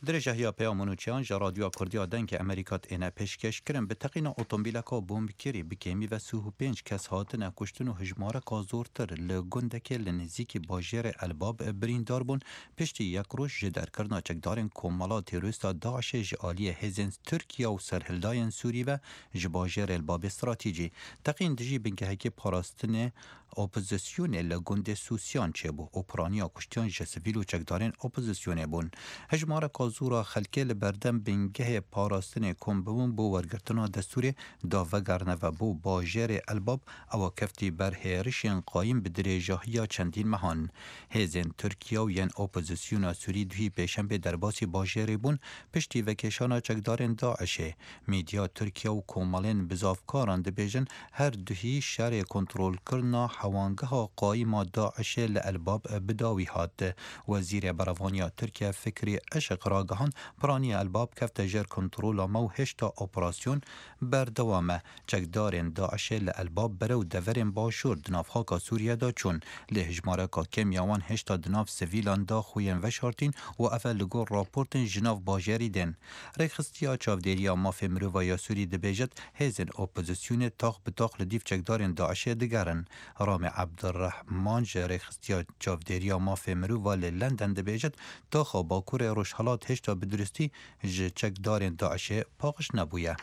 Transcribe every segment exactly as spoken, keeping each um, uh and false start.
درێژەهیا پەیام و نوچەیان ji Radyoya Kurdî ya Dengê Amerîka têne pêşkêşkirin bi teqîna otomobîleka bombkirî bi kêmî ve sih û pênc kes hatine kuştin û hejmareka zortir li gundekê li nêzîkî bajêrê Elbab birîndar bûn piştî yek roj ji derkirina çekdarên komela terorîsta DAIŞê ji aliyê hêzên Tirkiye û serhildayên Sûrî ve ji bajêrê Elbabê stratejî teqîn dijî bingehekê parastinê opozisyonê li gundê Sûsiyan çêbû û piraniya kuştiyan ji sivîl û çekdarên opozisyonê bûn. Hejmareka zora xelkê li berdem bingehê parastinê kom bibûn bo wergirtina destûrê da vegerine ve bo bajêrê Elbab ewa keftî ber hêrişên qayîm bi dirêjahiya çendîn mehan. Hêzên Tirkiye û yên opozisyona Sûrî duhî pêşembê derbasî bajêrê bûn piştî vekêşana çekdarên DAIŞê. Medya Tirkiye û komelên bizavkaran dibêjin her duhî şerê kontrolkirina hewangeha qayîma DAIŞê li Elbab bi dawî hat. Wezîrê Berevaniya Tirkiye Fikrî Işık ragihand piraniya Elbab kefte jêr kontrola me û hêşta operasyon berdewam e. Çekdarên DAIŞê li Elbab bere û deverên başûr di nav xaka Sûriye de çûn. Lê hejmareka kêm ya wan hêşta di nav sivîlan da xwe yên veşartîn û ev e li gor raportên ji nav bajêrî din. Rêxistiya Çavdêriya Mafê Mirova ya Sûrî dibêjit hêzên opozisyonê tax bi tax li dîv çekdarên DAIŞê digerin. Ramê Ebdurrehman ji rêxistiya Çavdêriya Mafê Mirova li London dibêjit taxa Bakurê Rojhilat hêşta bi duristî ji çekdarên DAIŞê paqij nebûye.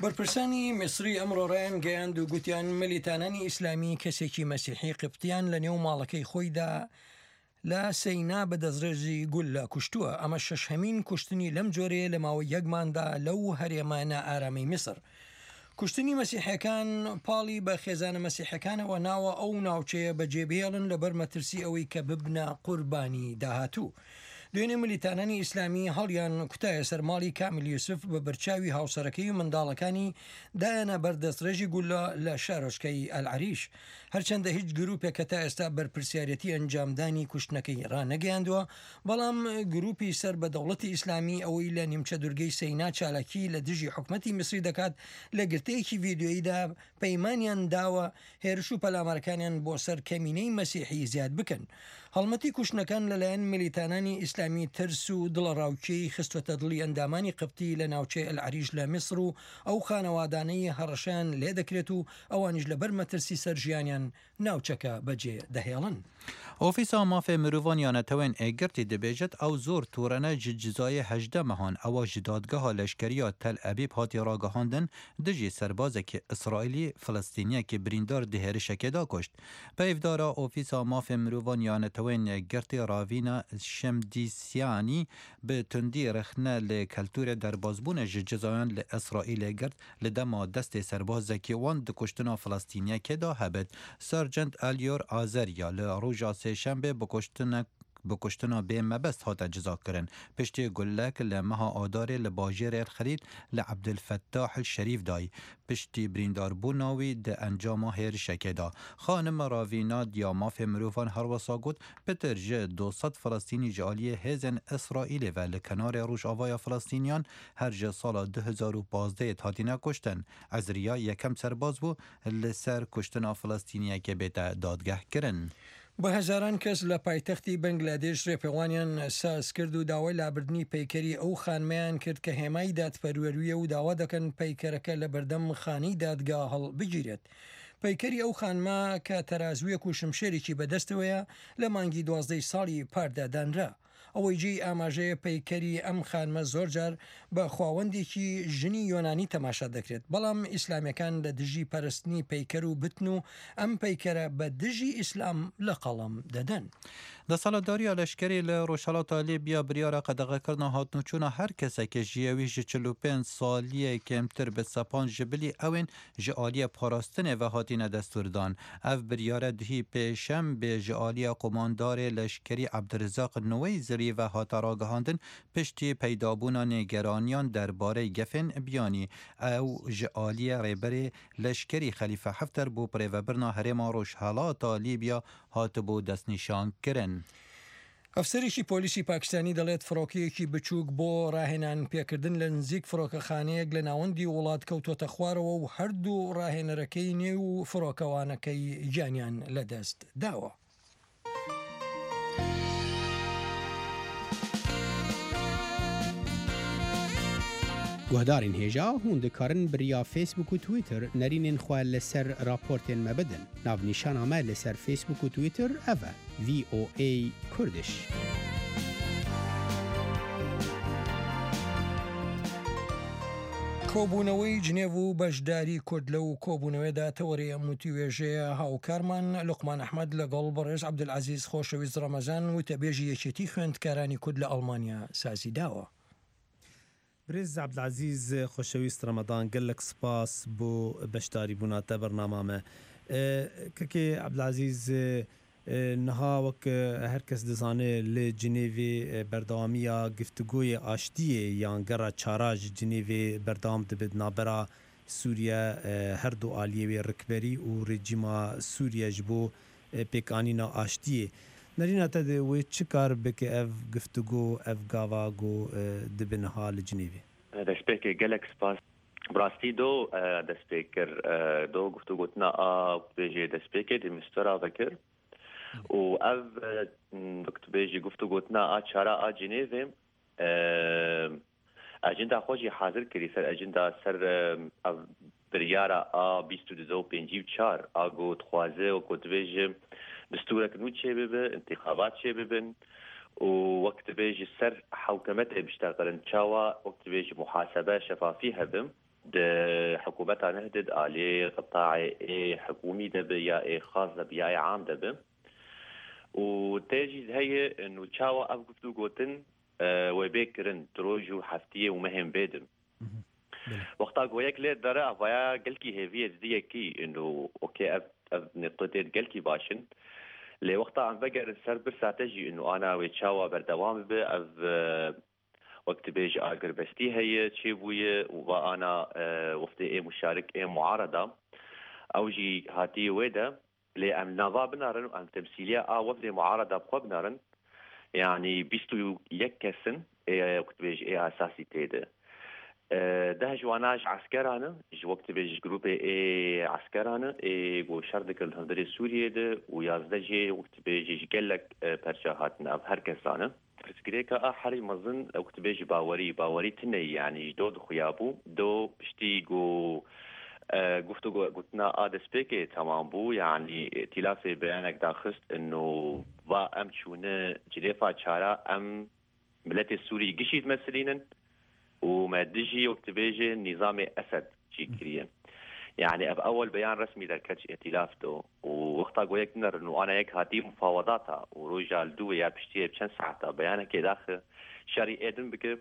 بەرپرسانی میسری ئەمڕۆ ڕایانگەیاند و گوتیان ملیتانانی ئیسلامی کەسێکی مەسیحی قبتیان لە نێو ماڵەکەی خۆیدا لە سەینا بە دەستڕێژی گوللە کوشتووە. ئەمە شەشهەمین کوشتنی لەم جۆرەیە لە ماوەی یەکماندا لەو هەرێمە نائارامی میسر. کوشتنی مەسیحەکان پاڵی بە خێزانە مەسیحەکانەوە ناوە ئەو ناوچەیە بەجێبهێڵن لەبەر مەترسی ئەوەی کە ببنە قوربانی داهاتوو. دوێنێ ملیتانانی ئیسلامی هەڵیان کوتایە سەر ماڵی کامیل یوسف بە بەرچاوی هاوسەرەکەی و منداڵەکانی دایانە بەردەستڕێژی گولە لە شارۆچکەی ئەلعەریش. هەرچەندە هیچ گروپێک کە تا ئێستا بەرپرسیارەتی ئەنجامدانی کوشتنەکەی ڕانەگەیاندووە، بەڵام گروپی سەر بە دەوڵەتی ئیسلامی ئەوەی لە نیمچە دوورگەی سەینا چالاکی لە دژی حکومەتی میسری دەکات لە گرتەیەکی ڤیدیۆییدا پەیمانیان داوە هێرش و پەلامارەکانیان بۆ سەر کەمینەی مەسیحی زیاد بکەن. هەڵمەتی کوشتنەکان لەلایەن ملیتانانی ئیسلامی ترس و دڵەڕاوکێی خستوەتە دڵی ئەندامانی قبتی لە ناوچەی ئەلعەریش لە میسر و ئەو خانەوادانەی هەڕەشەیان لێ دەکرێت و ئەوانیش لەبەر مەترسی سەر ژیانیان ناوچەکە بەجێ دەهێڵن. ئۆفیسا مافê mirovan ya Netewên Êgirtî dibêjit ew zor tûrene ji cizayê hejdeh mehan ewa ji dadgeha leşkeriya Tel Ebîb hatî ragihandin dijî serbazekî İsraîlî Filistîniyekî birîndar di hêrişekê da kuşt. Peyvdara Ofîsa Mafê Mirovan ya Netewên Êgirtî Ravîna Şemdîsyanî bi tundî rexne li keltûrê derbazbûnê ji cizayan li İsraîlê girt li dema destê serbazekî wan di kuştina Filistîniyekê da hebit. Sergeant Elior Azerya li roja sêşembê bi kuştinek bi kuştina bê mebest hate cizakirin. Piştî gulek li meha Adarê li bajêrê Xelîl li Ebdulfettah el-Şerîf dayî. Piştî birîndarbûna wî di encama hêrişekê da. Xanim Ravîna ya mafê mirovan her wisa got pitir ji du sed Filistînî ji aliyê hêzên Îsraîlê ve li kenarê Rojavaya Filistîniyan her ji sala du hezar û pazdehê hatine kuştin. Ezriya yekem serbaz bû li ser kuştina Filistîniyekê bête dadgehkirin. بە هەزاران کەس لە پایتەختی بەنگلادێش ڕێپێوانیان ساز کرد و داوای لابردنی پەیکەری ئەو خانمەیان کرد کە هێمای دادپەروەریە و داوا دەکەن پەیکەرەکە لە بەردەم خانەی دادگا هەڵبگیرێت. پەیکەری ئەو خانمە کە تەرازوویەک و شمشێرێکی بەدەستەوەیە لە مانگی دوازدەی ساڵی پاردا دانرا. ئەوەی جێی ئاماژەیە پەیکەری ئەم خانمە زۆر جار بە خواوەندێکی ژنی یۆنانی تەماشا دەکرێت، بەڵام ئیسلامیەکان لە دژی پەرستنی پەیکەر و بتن و ئەم پەیکەرە بە دژی ئیسلام لە قەڵەم دەدەن. دەسەڵاتداریە لەشکری لە ڕۆژهەڵاتا لیبیا بریارە قەدەغەکردنا هاتنوچوونە هەر کەسێکی ژیەوی ji çil û pênc saliyê kêmtir bi sepan ji bilî ewên ji aliyê parastinê ve hatine destûrdan. Ev biryare duhî pêşembê ji aliyê qomandarê leşkerî Ebdurezaq Nuweyzirî ve hate ragihandin piştî peydabûna nêgeraniyan derbarê gefên biyanî. Ew ji aliyê rêberê leşkerî Xelîfe Hefter bo birêvebirina herêma Rojhilata Lîbya hatibû destnîşankirin. ئەفسەرێکی پۆلیسی پاکستانی دەڵێت فڕۆکەیەکی بچووک بۆ ڕاهێنان پێکردن لە نزیک فڕۆکەخانەیەک لە ناوەندی وڵات کەوتۆتە خوارەوە و هەردوو ڕاهێنەرەکەی نێو و فڕۆکەوانەکەی گیانیان لەدەست داوە. Guhdarên hêja hûn dikarin bi riya Facebook û Twitter nerînên xwe li ser raportên me bidin. Navnîşana me li ser Facebook û Twitter ev e: V O A Kurdish. کۆبوونەوەی جنێڤ و بەشداری کورد لەو کۆبوونەوەیدا تەوەری ئەم وتوێژەیە. هاوکارمان لوقمان ئەحمەد لەگەڵ بەڕێز عەبدولعەزیز خۆشەویست ڕەمەزان وتەبێژی یەکێتی خوێندکارانی کورد لە ئەڵمانیا سازی داوە. برێز عەبدولعەزیز خۆشەویست ڕەمەزان، گەلەک سپاس بۆ بەشداری بوونا تە بەرنامە مە. کەکێ عەبدولعەزیز، نها وەک هەر کەس دزانێ لە جنێڤێ بەردەوامیە گفتوگۆی ئاشتیە یان گەڕا چارا ژ جنێڤێ بەردەوام دبێت نابەرا سووریە هەردوو ئالیەوێ ڕکبەری و ڕێجیما سووریە ژ بۆ پێکانینا ئاشتیە. نەرینە تە وێ چ کار بکە ئەڤ گفتوگۆ ئەڤ گاوا گۆ دبنها لە جنێڤێ؟ دەستپێکێ گەلەک سپاس. بڕاستی دۆ دەست پێ کرد، دۆ گفتوگۆتنا ئا بێژێ دەست پێ کرد میستۆرا ڤکرد و ئەڤ وەک بێژی گفتوگۆتنا ئا چارا ئا جنێڤێ ئەجندا خۆشی حاضر کردی سەر ئەجندا سەر ئەڤ بریارە ئا بیست و دو پێنجی و چار ئاگۆ دخوازێ وەکو دبێژێ دستورەک نوو چێ ببێ، انتخابات چێ ببن و وەک دبێژی سەر حوکەمەتێ بشتەغلن، چاوە وەک دبێژی محاسبە شەفافی هەبم د حکوومەتا نهدد ئالێ قطاع ئێ حکوومی دەبێ یا ئێ خاص دەبێ یا ئێ عام دەبێ و تێژی هەیە ئنو چاوە ئەڤ گفتو گوتن وێ بێ کرن درۆژ و هەفتیە و مەهێن بێدم. وەختا گۆیەک لێ دەرە ئەڤایا گەلکی هێڤیە ددیەکی ئنو ئۆکێ ئەڤ ئەڤ نقطێت گەلکی باشن، لێ وەختا ئەم ڤەگەرن سەر برساتەژی ئنو ئانا وێ چاوە بەردەوام بێ ئەڤ وەک دبێژ ئاگربەستی هەیە چێ بوویە و ئانا وەفتێ ئێ مشارک ئێ معارەدا ئەو ژی هاتیە وێدە، لێ ئەم ناڤا بنارن و ئەم تەمسیلیە ئا وەفدێ معارەدا بخۆ بنارن، یعنی بیست و یەک کەسن ئێ وەک دبێژ ئێ ئاساسی تێدە، ده ژواناش عسکرانە ژ وەک دبێژ گروپێ ئێ عسکرانە ئێ گۆ شەر دکرد هەندرێ سووریە ده و یازدە ژێ وەک دبێژ گەلەک پەرچە هاتن. ئەڤ هەر کەسانە پرسگرێکە ئا حەری مەزن وەک دبێژ باوەری باوەری تنەی، یعنی دۆ دخویا بوو دۆ پشتی گۆ گفتوگۆ گوتنا ئا دەستپێکێ تەمام بوو، یعنی ئیتیلافێ بەیانێک داخست ئنو وا ئەم چوونە جنێفا چارا ئەم ملەتێ سووری گشی دمەسلینن و مە دژی وەک دبێژێ نیزامێ ئەسەد چی کریە. یعنی ئەڤ ئەوەل بەیان ڕەسمی دەرکەت ئیتیلاف دۆ و وەختا گۆیەک نەرن و ئانا یەک هاتی مفاوەزاتا و ڕۆژا دووە یا پشتیە چەند ساعتا بەیانێکێ داخە شەڕی ئێدن بکە،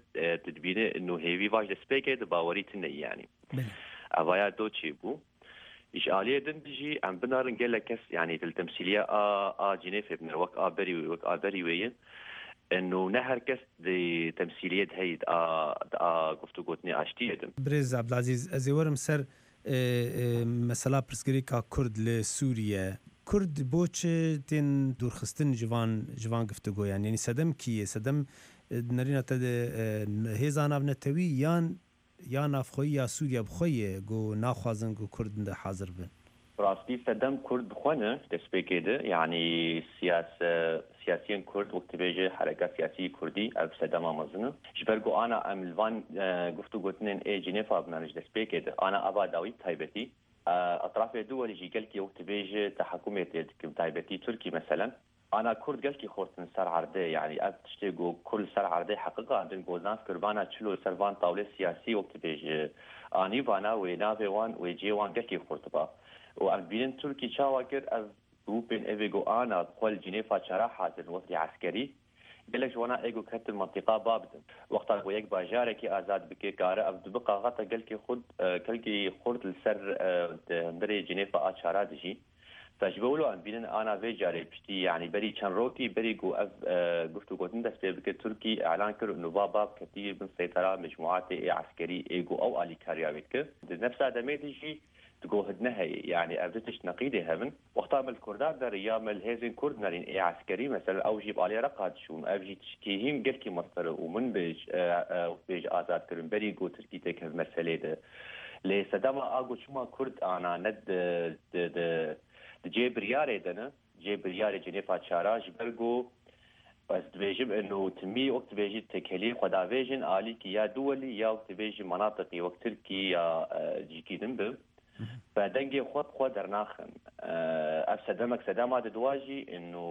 تدبینێ ئنو هێوی ڤاژ دەستپێکێ د باوەری تنە، یعنی ئەڤایا دۆ چێ بوو. ئیش ئالیە دن دژی ئەم بنارن گەلەک کەس یعنی تەمسیلیە ئا ئا جنێفێ بنر وەک ئا بەری وەک ئا بەری وێیە ئنو نە هەر کەس دی تەمسیلیەت هەی ئا ئا گفتوگۆتنێ ئاشتیە دم. برێز عەبدولعەزیز، ئەزێ وەرم سەر مەسەلا پرسگرێکا کورد لە سووریە. کورد بۆ چ تێن دوورخستن ژ ڤان ژ ڤان گفتوگۆیان؟ یعنی سەدەم کیە؟ سەدەم نەرینە تە هێزا ناڤنەتەوی یان یا نافخۆیی یا سووریا بخۆیە گۆ ناخوازن گۆ کورد حاضر بن؟ ڕاستی سەدەم کورد بخۆنە دەستپێکێ ده، یعنی سیاس سیاسیەن کورد وەک دبێژێ حەرەکە سیاسی کوردی ئەڤ سەدەما مەزنە، ژ بەر گۆ ئانا ئەم ڤان گفتوگۆتنێن ئێ جنێفا بنانش دەستپێکێ ده ئانا ئەڤا داوی تایبەتی ئەطرافێ دووەلی ژی گەلکی وەک دبێژێ تەحەکومێ تێ دکم، تایبەتی تورکی مەسەلەن. ئانا کورد گەلکی خۆرتن سەر عەردێ، یعنی ئەڤ تشتێ گۆ کورد سەر عەردێ حەقیقاندن گۆ ناف کربانا چلۆ سەر ڤان تاولێ سیاسی وەک دبێژێ ئانی ڤانا وێ ناڤێ وان وێ جێ وان گەلکی خۆرتبا و ئەم بینن تورکی چاوا کرد ئەڤ گروپێن ئەڤێ گۆ ئانا بخۆل جنێفا چارا حازر وەفدی عەسکەری گەلەک ژ وانا ئێگۆ کەتن مەنتیقا بابدن وەختا گۆ یەک باژارێکی ئازاد بکێ کارە ئەڤ دبقا غەتە گەلکی خود کەلکی خورد لەسەر هەندرێ جنێفا ئا چارا دژی. فژ بۆ ولۆ ئەم بینن ئانا ڤێ جارێ پشتی یعنی بەری چەند ڕۆکی بەری گۆ ئەڤ گفتوگۆتن دەست پێ بکە تورکی ئیعلان کرد ئنو ڤا باب کەتی بن سەیتەرا مجموعاتێ ئێ عەسکەری ئێگۆ ئەو ئالیکاریاوێت کرد. نەفسا دەمێ دژی دگۆ هدنە هەیە، یعنی ئەڤ دو تشت نەقیدێ هەبن وەختا مل کوردان دەرێ یا مل هێزên کورد نەرین ئێ عەسکەری مەسەلەن ئەو ژی ئالێ ڕەقا دچوون ئەڤ ژی تشتێ هیم گەلکی مەستەرە و من بێژ بێژ ئازاد کردن بەری گۆ تورکی تێکەڤ مەسەلێ ده. لێ سەدەما ئاگۆ چما کورد ئانا نە جێ بریارێ دەنە جێ بریارێ جنێفا چارا ژ بەر گۆ بەس دبێژم ئەنو تمی وەک دبێژی تێکەلی خۆداوێژن ئالیکی یا دووەلی یا وەک دبێژی مناتقی وەک ترکی یا جیکی دن بم بە دەنگێ خۆ خۆ دەرناخن. ئەف سەدەمەک سەدەما دواژی ئەنو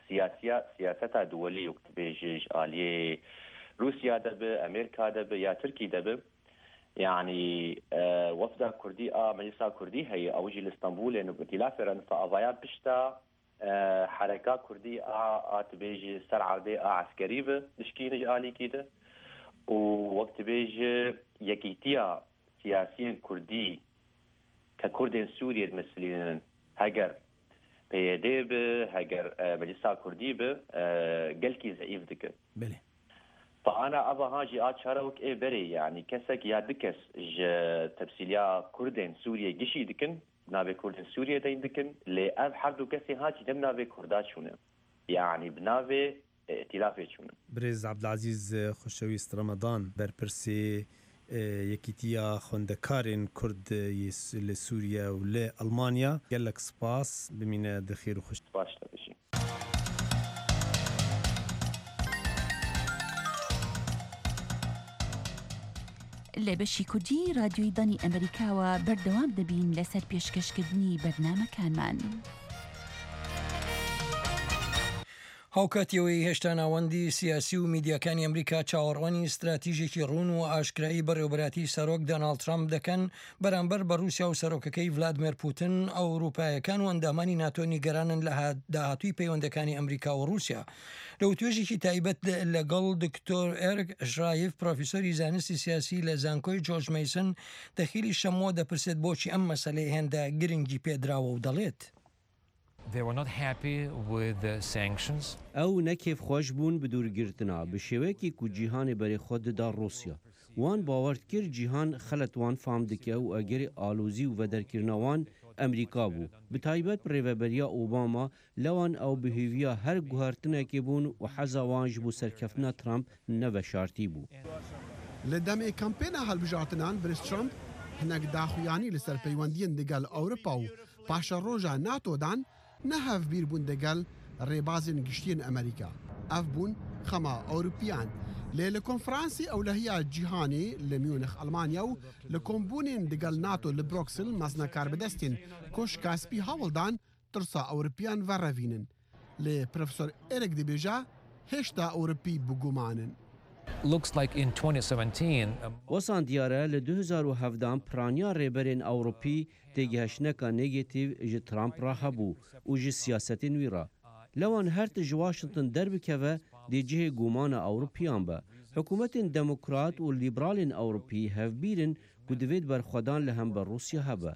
سیاسیا سیاسەتا دووەلی وەک دبێژیش ئالیێ رووسیا دەبێ، ئەمریکا دەبێ یا ترکی دەبێ. يعني وفدا كردي اه مجلسا كردي هي اوجي لاسطنبول انه بتلافرن فافايا بشتا حركة كردي اه تبيجي سر عردي اه عسكري بشكينج آلي كده ووقت بيجي يكيتيا سياسيا كردي ككردين سوريا تمثلين هجر بي به هجر مجلسا كردي به قلكي زعيف دك بله. فأنا أبا هاجي آتشارا وك إيه بري يعني كسك يا دكس ج تمثيليا كردين سوريا جشي دكن نابي كردين سوريا دين دكن لي أب حردو كسي هاجي دم نابي كردات شونه يعني بنابي ائتلافي شونه. برێز عەبدولعەزیز خۆشەویست ڕەمەدان بەرپرسی یەکێتیە خوێندەکارên کورد لە سووریا و لە ئەڵمانیا، gelek سپاس بمینە دخێر و خوش. سپاس دەبژی. لە بەشی کوردی رادیۆی دەنگی ئەمریکاوە بەردەوام دەبین لەسەر پێشکەشکردنی بەرنامەکانمان. هاوکاتیەوەی هێشتا ناوەندی سیاسی و میدیاکانی ئەمریکا چاوەڕوانی استراتیژێکی ڕوون و ئاشکرایی بەڕێوەبەرایەتی سەرۆک دۆناڵد ترامپ دەکەن بەرامبەر بە رووسیا و سەرۆکەکەی ڤلادیمێر پوتن. ئەوروپایەکان و ئەندامانی ناتۆ نیگەرانن لە داهاتووی پەیوەندەکانی ئەمریکا و رووسیا. لە وتوێژێکی تایبەت لەگەڵ دکتۆر ئێرک شرایف، پرۆفیسۆری زانستی سیاسی لە زانکۆی جۆرج مەیسن، دەخیلی شەمۆ دەپرسێت بۆچی ئەم مەسەلەی هێندە گرنگی پێدراوە و دەڵێت They were not happy with the sanctions. ئەو نەکێف خۆش بوون بە دوورگرتنا بە شێوەیەکی کو جیهانی بەرێ خۆ دەدا ڕوسیا. وان باوەرد کرد جیهان خەلەت وان فام دکە و ئەگەری ئالۆزی و وەدەرکردنەوان ئەمریکا بوو. بە تایبەت ڕێوەبەریە ئۆباما لەوان ئەو بهێویە هەر گوهرتنێکی بوون و حەزا وان ji بۆ سەرکەفتنا ترامپ نەڤەشارتی بوو. لە دەمێ کەمپێنە هەڵبژارتنان برێز ترامپ هەنێک داخویانی لەسەر پەیوەندیین دەگەل ئەوروپا و پاشە ڕۆژە ناتۆدان نەهەف بیر بوون دەگەل ڕێبازên گشتیên ئەمریکا. ئەف بوون خەما ئەوروپیان. لێ لە کۆنفرانسی ئەولەهیا جیهانی لە میونخ ئەڵمانیا و لە کۆمبوونên دەگەل ناتۆ لە برۆکسل مەزنەکاربەدەستên کۆشکا سپی هەوڵدان ترسا ئەوروپیان وەڕەڤینن. لێ پرۆفسۆر ئێرک دەبێژە هێشتا ئەوروپی بگومانن. Looks like in twenty seventeen وەسان دیارە لە دوو هەزار و حەڤدان پرانیا ڕێبەرên ئەوروپی تێگەهشتنەکە نێگەتیڤ ji ترامپ ڕا هەبوو و ji سیاسەتên wî ڕا. لەوان هەر ji واشنگتن دەربکەوە dê cihê gumana Ewropiyan be. Hikûmetên demokrat û lîberalên Ewropî hevbîrin ku divêt berxwedan li hember Rûsya hebe.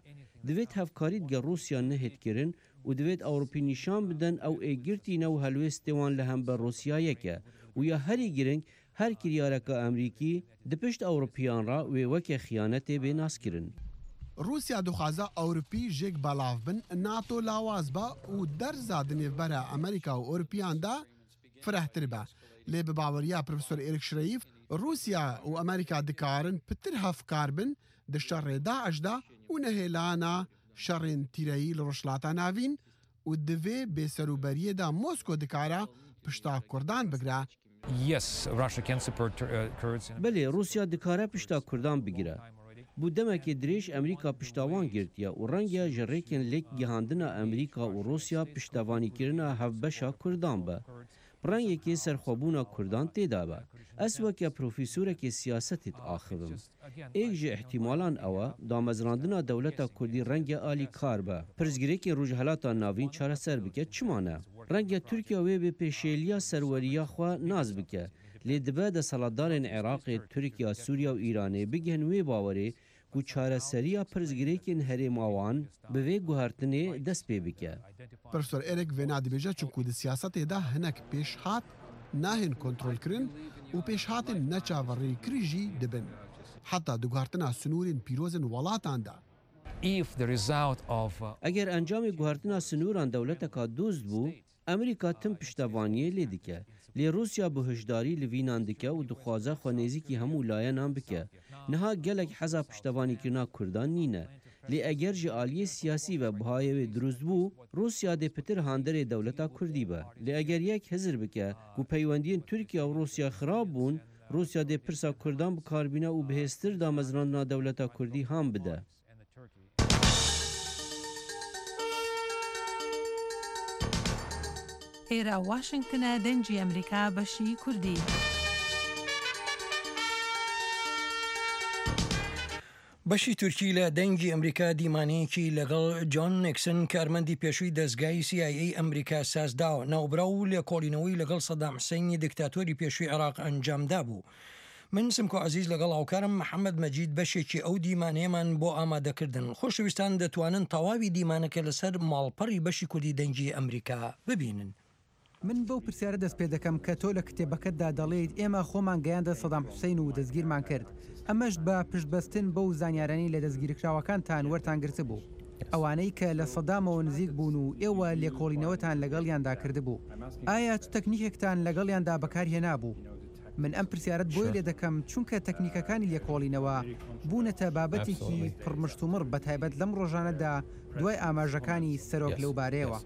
Divêt hevkarî digel Rûsya nehêtkirin û divêt Ewropî nîşan bidin ew êgirtîne û helwêstê wan li hember Rûsya yek e. û ya herî giring هەر kiryareka Amerîkî di pişt Ewropiyan ra wê weke xiyanetê bê naskirin. رووسیا دخوازە ئەوروپی ژێک بەڵاو بن، ناتۆ لاواز بە و دەرزا دنێڤبەرە ئەمریکا و ئەوروپیاندا فرەهتر بە. لێ بە باوەریە پرۆفسۆر ئێرک شرەیف رووسیا و ئەمریکا دکارن پتر هەفکار بن di şerê داعشدا و nehêlana şerên tîreyî li Rojhilata Navîn û divê bêserûberiyê da Mosko dikare pişta Kurdan bigire. Yes, Russia can support Kurds. Belê Rûsya dikare pişta Kurdan bigire. بۆ دەمێکی درێژ ئەمریکا پشتاوان گرتیە و ڕەنگە ji ڕێکên لێک گەهاندنا ئەمریکا و ڕوسیا پشتەوانیکردنا هەڤبەشا کوردان بە. ڕەنگێکی سەرخۆبوونا کوردان تێدا بە. ئەس وەکە پرۆفیسۆرێکی سیاسەتت ئاخڤم. ئێک ji احتیمالان ئەوە دامەزراندنا دەولەتا کوردی ڕەنگە ئالی کار بە. پرسگرێکی ڕۆژهەڵاتا ناوین چارەسەر بکە چمانە. ڕەنگە تورکیا وێ بێ پێشێلیە سەروەریە خوا ناز بکە. لێ دبە دەسەڵاتدارên عێراقê، تورکیا، سووریا و ئیرانê bigihin wê bawerê ku çareseriya pirsgirêkên herêma wan bi vê guhertinê dest pê bike. Profesor Erik vêna dibêje çunku di siyasetê de hinek pêşhat nahên kontrolkirin û pêşhatên neçaverêkirî jî dibin. Heta di guhertina sinûrên pîrozên welatan de. If the result of Eger encamê guhertina sinûran dewleteka dost bû, Amerîka tim piştevaniyê lê dike. Lê Rûsya bi hişdarî li vînan dike û dixwaze xwe nêzîkî hemû layenan bike. Niha gelek heza piştevanîkirina Kurdan nîne. Lê eger ji aliyê siyasî ve bihayê wê dirust bû, Rûsya dê pitir handerê dewleta Kurdî be. Lê eger yek hizir bike ku peywendiyên Tirkiye û Rûsya xirab bûn, Rûsya dê pirsa Kurdan bikarbîne û bihêztir damezrandina dewleta Kurdî han bide. ئێرە واشنگتنە دەنگی ئەمریکا بەشی کوردی. بەشی تورکی لە دەنگی ئەمریکا دیمانەیەکی لەگەڵ جۆن نیکسن کارمەندی پێشووی دەزگای سی ئای ئەی ئەمریکا سازداوە. ناوبراو و لێکۆڵینەوەی لەگەڵ سەدام حسەینی دیکتاتۆری پێشووی عێراق ئەنجامدابوو. من سمکۆ عەزیز لەگەڵ هاوکارم محەممەد مەجید بەشێکی ئەو دیمانەیەمان بۆ ئامادەکردن. خۆشەویستان دەتوانن تەواوی دیمانەکە لەسەر ماڵپەڕی بەشی کوردی دەنگی ئەمریکا ببینن. من بەو پرسیارە دەست پێ دەکەم کە تۆ لە کتێبەکەتدا دەڵێیت ئێمە خۆمان گەیاندە سەدام حوسەین و دەستگیرمان کرد، ئەمەش بە پشتبەستن بەو زانیارانەی لە دەستگیرکراوەکانتان وەرتان گرتبوو، ئەوانەی کە لە سەدامەوە نزیک بوون و ئێوە لێکۆڵینەوەتان لەگەڵیاندا کردبوو. ئایا چ تەکنیکێکتان لەگەڵیاندا بەکارهێنابوو؟ من ئەم پرسیارەت بۆیە لێ دەکەم چونکە تەکنیکەکانی لێکۆڵینەوە بوونەتە بابەتێکی پڕمشتومڕ بەتایبەت لەم ڕۆژانەدا دوای ئاماژەکانی سەرۆک لەو بارەیەوە.